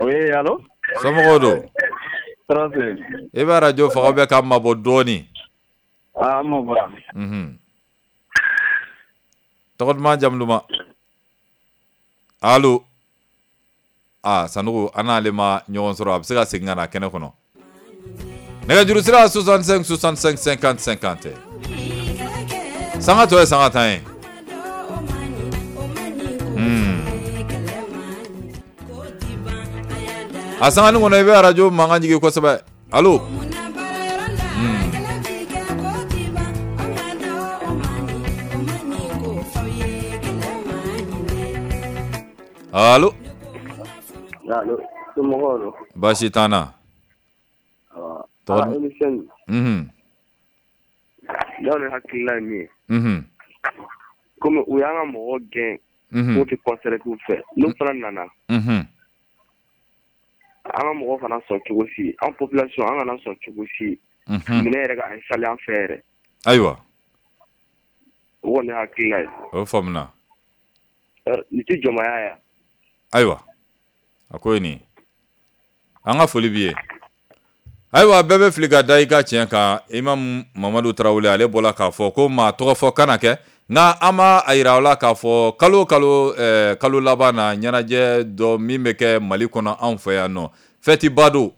Oui allo. Somɔgɔw don. Tɔɔrɔ tɛ yen. I bɛ arajo faga bɛ k'a mabɔ dɔɔni. Aa an mabɔra. Unhun. Tɔgɔ duman jamu duman. Allo. Aa Sanogo an n'ale ma ɲɔgɔn sɔrɔ a bɛ se ka segin ka na kɛnɛ kɔnɔ. Nɛgɛjuru sira soixante-cinq soixante-cinq cinquante cinquante. Sanga tɔ ye sanga tan ye. Hmm. A sanganin kɔnɔ i bɛ arajo mankan jigin kosɛbɛ. Allo. Hmm. Allo. Allo, somɔgɔw don. Baasi t'an na. Tɔgɔ émission. Unhun. N'aw de hakilina ye min ye. Unhun. Komi u y'an ka mɔgɔ gɛn. Unhun. K'u tɛ concert k'u fɛ. N'u fana nana. Unhun. An ka mɔgɔ kana sɔn cogo si an population an kana sɔn cogo si. Unhun. Minɛn yɛrɛ ka installer an fɛ yɛrɛ. Ayiwa. O kɔni ye hakilina ye. O faamuna. Nin tɛ jɔnmaya ye. Ayiwa. A ko ye nin ye. An ka foli b'i ye. Ayiwa bɛɛ bɛ fili ka da i ka tiɲɛ kan Imam Mamadu Tarawele ale bɔra k'a fɔ ko maa tɔgɔ fɔ kana kɛ nka an b'a a yira aw la k'a fɔ kalo kalo ɛɛ kalo laban na ɲɛnajɛ dɔ min bɛ kɛ Mali kɔnɔ anw fɛ yan nɔ fɛtiba don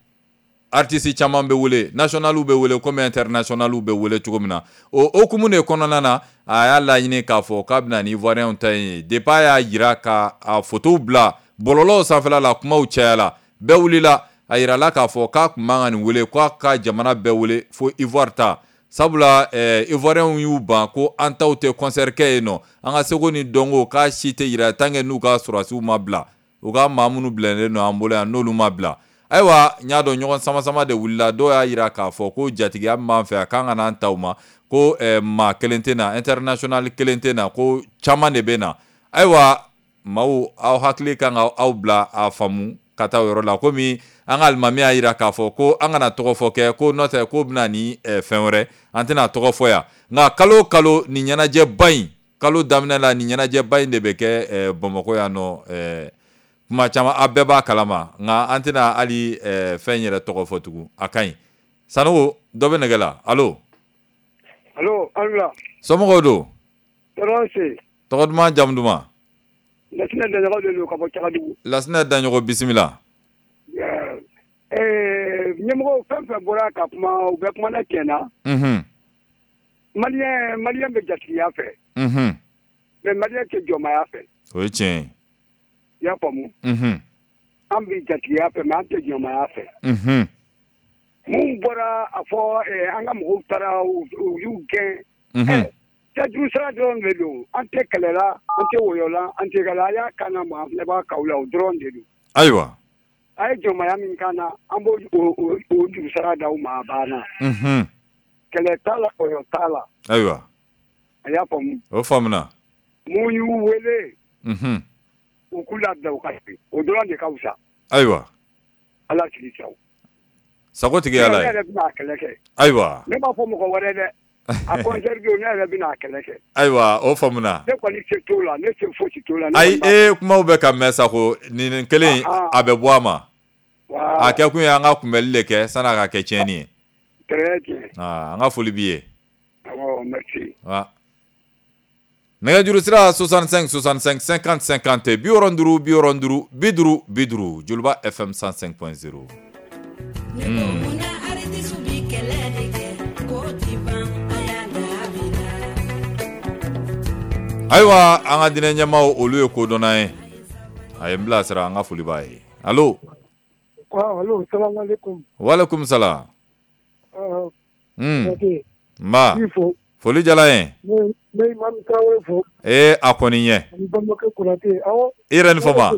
artiste caman bɛ wele nationaliw bɛ wele komi internationaliw bɛ wele cogo min na o hokumu de kɔnɔna na a y'a laɲini k'a fɔ k'a bɛna ni Ivoirien ta in ye depuis a y'a yira ka a photo bila bɔlɔlɔw sanfɛla la kumaw cayala bɛɛ wulila a yirala k'a fɔ k'a tun man ka nin wele k'a ka jamana bɛɛ wele fo Ivoire ta Sabula eh, Ivoiriens y'u ban ko an taw tɛ concert kɛ yen nɔ, an ka seko ni dɔnko k'a si tɛ yira tant que n'u ka sɔrɔdasiw ma bila, u ka maa minnu bilalen don an bolo yan n'olu ma bila. Ayiwa, n y'a dɔn ɲɔgɔn sama sama de wulila, dɔw y'a yira k'a fɔ ko jatigiya min b'an fɛ a kan ka n'an ta u ma, ko eh, maa kelen tɛ na, international kelen tɛ na, ko caman de bɛ na. Ayiwa, maaw aw hakili kan ka aw bila a faamu ka taa o yɔrɔ la, komi an ka alimami y'a yira k'a fɔ ko an kana tɔgɔ fɔ kɛ, ko n'o tɛ k'o bɛna ni eh, fɛn wɛrɛ, an tɛna tɔgɔ fɔ yan. Nka kalo o kalo nin ɲɛnajɛba in, kalo daminɛ la nin ɲɛnajɛba in de bɛ kɛ eh, Bamakɔ yan nɔ, eh, kuma caman a bɛɛ b'a kalama, nka an tɛna hali eh, fɛn yɛrɛ tɔgɔ fɔ tugun, a ka ɲi. Sanogo, dɔ bɛ nɛgɛ la. Allo. Allo, allo. Somɔgɔw don? Tɔɔrɔ se. Tɔgɔ duman, jamu duman? Lasinɛ Daɲɔgɔ de don ka bɔ Cagadugu. Lasinɛ Daɲɔgɔ, bisimila. Ɛɛ ɲɛmɔgɔw fɛn fɛn bɔra ka kuma, u bɛɛ kumana tiɲɛ na. Unhun. Maliyɛn maliyɛn bɛ jatigiya fɛ. Unhun. Mais maliyɛn tɛ jɔnmaya fɛ. O ye tiɲɛ ye. I y'a faamu? Unhun. An bɛ jatigiya fɛ, mais an tɛ jɔnmaya fɛ. Unhun. Mun bɔra a fɔ an ka mɔgɔw taara u y'u gɛn. Unhun. Juru sira dɔrɔn de don, an tɛ kɛlɛ la, an tɛ wɔyɔ la, an tɛ kɛlɛ, a y'a kan na ma, an b'a kaw la, o dɔrɔn de don. Ayiwa. A ye jɔnmaya min kan na, an b'o o juru sira d'aw ma, a banna. Unhun. Kɛlɛ t'a la, wɔyɔ t'a la. Ayiwa. A y'a faamu. O faamuna. Mun y'u wele. Unhun. U k'u labila u ka segin, o dɔrɔn de ka fisa. Ayiwa. Ala k'i sago. Sago tigi Ala ye. Ne yɛrɛ bɛna a kɛlɛ kɛ. Ayiwa. Ne b'a fɔ mɔgɔ wɛrɛ dɛ. A concert don, ne yɛrɛ bɛna a kɛlɛ kɛ. Ayiwa, o faamuna. Ne kɔni se t'o la, ne se fosi t'o la. Ayi, e kumaw bɛ ka mɛn sa ko nin kelen a bɛ bɔ a ma. A kɛ kun ye an ka kunbɛli de kɛ san'a ka kɛ tiɲɛni ye. Très bien. Aa, an ka foli b'i ye. Awɔ, merci. Wa. Nɛgɛjuru sira soixante-cinq soixante-cinq cinquante cinquante bi wɔɔrɔ duuru bi wɔɔrɔ duuru bi duuru bi duuru Joliba F M cent cinq point zéro. Hmm. Ayiwa, an ka diinɛ ɲɛmaaw olu ye kodɔnna ye, a ye n bilasira, an ka foli b'a ye. Allo. Allo, salamu aleykum. Walekum salam. Hmm. Nba. Foli diyara n ye. Ne ne Imam Traoré fo. Ee a kɔni ɲɛ. Ani balimakɛ Konate. Awɔ. I yɛrɛ ni fama.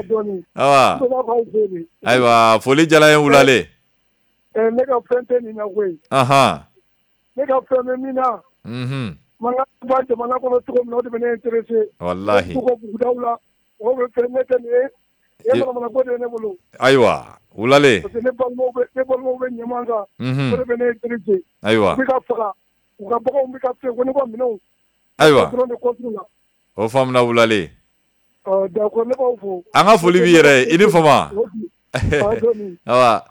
Dɔɔni. Awa. Ayiwa, foli diyara n ye wulale. Ɛɛ ne ka fɛn tɛ nin na koyi. Ahan. Ne ka fɛn bɛ min na. Unhun. Mankan ba jamana kɔnɔ cogo min na, o de bɛ ne intéressé. Walahi. K'u ka bugudaw la, mɔgɔw bɛ fɛn ne tɛ nin ye. E manamana ko de ye ne bolo. Ayiwa, wulale. Parce que ne balimaw bɛ ne balimaw bɛ ɲaman kan. Unhun. O de bɛ ne intéressé. Ayiwa. U bɛ ka faga. U ka baganw bɛ ka fɛn ko ne ka minɛnw. Ayiwa. Dɔrɔn de contre la. O faamuna wulale. Ɔ d'accord, ne b'aw fo. An ka foli b'i yɛrɛ ye, i ni fama. Awa.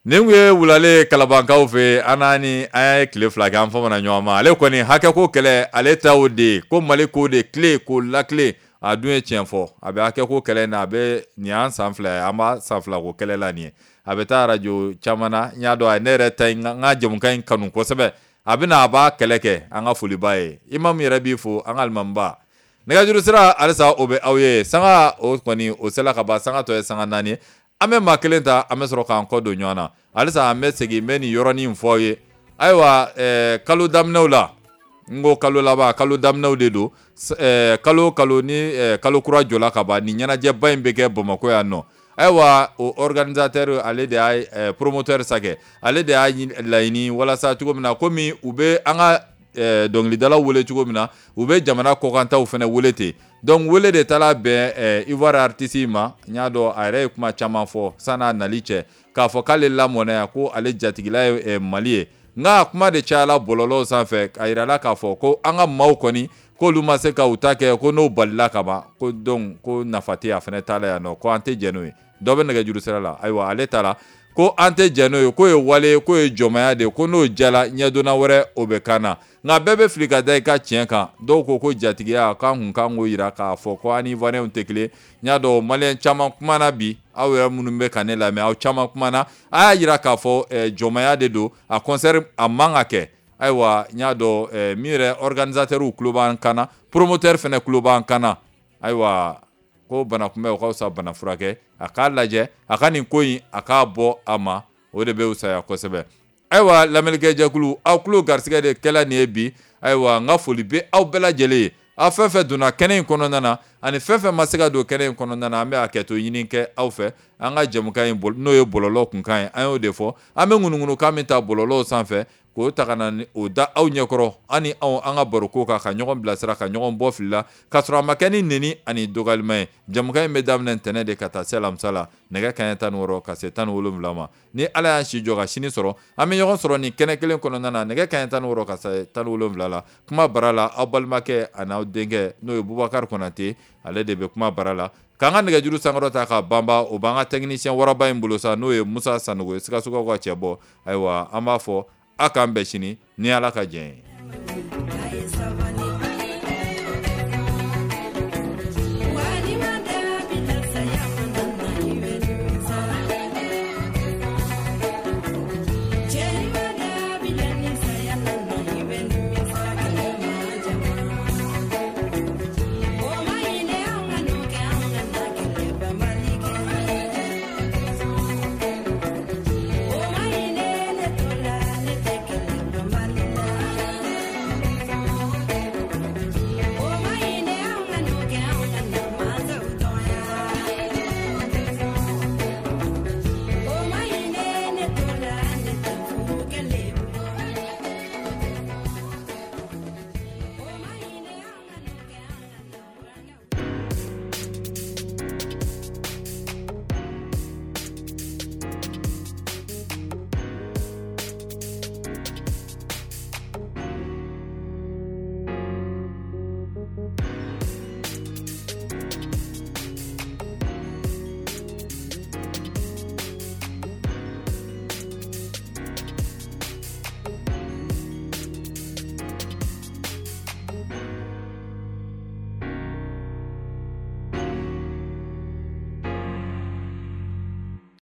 Nin kun ye wulale Kalabankaw fɛ, an n'a ni an ye tile fila kɛ, an famana ɲɔgɔn ma. Ale kɔni hakɛ ko kɛlɛ, ale ta o de ye ko Mali k'o de tile k'o lakile, a dun ye tiɲɛ fɔ. A bɛ hakɛ ko kɛlɛ in na, a bɛ nin y'an san fila ye, an b'a san fila ko kɛlɛ la nin ye. A bɛ taa arajo caman na, n y'a dɔn a ye ne yɛrɛ ta in, n ka jamukan in kanu kosɛbɛ. A bɛ na a b'a kɛlɛ kɛ, an ka foliba ye. Imam yɛrɛ b'i fo, an ka alimamiba. Nɛgɛjuru sira halisa o bɛ aw ye. Sanga o kɔni o sela ka ban, sanga tɔ ye sanga naani ye. An bɛ maa kelen ta, an bɛ sɔrɔ k'an kɔ don ɲɔgɔn na. Halisa an bɛ segin, n bɛ nin yɔrɔnin fɔ aw ye. Ayiwa, ɛɛ kalo daminɛw la, n ko kalo laban, kalo daminɛw de don. Ɛɛ kalo kalo ni ɛɛ kalo kura jɔla ka ban, nin ɲɛnajɛba in bɛ kɛ Bamakɔ yan nɔ. Ayiwa, o organisateur ale de y'a promoteur sakɛ, ale de y'a laɲini walasa cogo min na, komi u bɛ an ka dɔnkilidalaw wele cogo min na, u bɛ jamana kɔkantaw fana wele ten. Donc wele de taara bɛn Ivoire artiste ma, n y'a dɔn a yɛrɛ ye kuma caman fɔ san'a nali cɛ, k'a fɔ k'ale lamɔna yan, ko ale jatigila ye Mali ye. Nka kuma de cayala bɔlɔlɔw sanfɛ, a yirala k'a fɔ ko an ka maaw kɔni k'olu ma se ka u ta kɛ, ko n'o balila ka ban, ko donc ko nafa tɛ a fana t'a la yan nɔ, ko an tɛ jɛn n'o ye. Dɔ bɛ nɛgɛjuru sira la, ayiwa ale taara ko an tɛ jɛn n'o ye, k'o ye wale, k'o ye jɔnmaya de ye, ko n'o jala ɲɛdonna wɛrɛ o bɛ kan na. Nka bɛɛ bɛ fili ka da i ka tiɲɛ kan. Dɔw ko ko jatigiya k'an kun kan k'o yira k'a fɔ ko an ni Ivoiriens tɛ kelen. N y'a dɔn Maliyɛn caman kumana bi, aw yɛrɛ minnu bɛ ka ne lamɛn, aw caman kumana, a y'a yira k'a fɔ jɔnmaya de don, a concert a man ka kɛ. Ayiwa, n y'a dɔn min yɛrɛ organisateur tulo b'an kan na, promoteur fana tulo b'an kan na. Ayiwa, ko bana kunbɛn o ka fisa bana furakɛ, a k'a lajɛ, a ka nin ko in a k'a bɔ a ma, o de bɛ fisaya kosɛbɛ. Ayiwa lamɛnnikɛjɛkulu, aw tulo garisɛgɛ de kɛla nin ye bi. Ayiwa n ka foli bɛ aw bɛɛ lajɛlen ye, aw fɛn fɛn donna kɛnɛ in kɔnɔna na ani fɛn fɛn ma se ka don kɛnɛ in kɔnɔna na, an bɛ hakɛto ɲini kɛ aw fɛ. An ka jɛmukan in n'o ye bɔlɔlɔ kunkan ye, an y'o de fɔ, an bɛ ŋunuŋunukan min ta bɔlɔlɔw sanfɛ k'o ta ka na o da aw ɲɛkɔrɔ, an ni anw an ka baroko kan, ka ɲɔgɔn bilasira, ka ɲɔgɔn bɔ fili la, k'a sɔrɔ a ma kɛ ni neni ani dɔgɔyalima ye. Jɛmukan in bɛ daminɛ ntɛnɛn de ka taa se alamisa la, nɛgɛ kanɲɛ tan ni wɔɔrɔ ka se tan ni wolonwula ma. Ni Ala y'an si jɔ ka sini sɔrɔ, an bɛ ɲɔgɔn sɔrɔ nin kɛnɛ kelen kɔnɔna na, nɛgɛ kanɲɛ tan ni wɔɔrɔ ka se tan ni wolonwula la. Kuma bara la, aw balimakɛ ani aw denkɛ n'o ye Bubakari Konate, ale de bɛ kuma bara la. K'an ka nɛgɛjuru sankɔrɔ ta k'a banba, o b'an ka technicien waraba in bolo sa, n'o ye Musa Sanogo ye, Sikasokaw ka cɛ bɔ. Ayiwa an b'a fɔ a k'an bɛn sini ni Ala ka jɛn ye.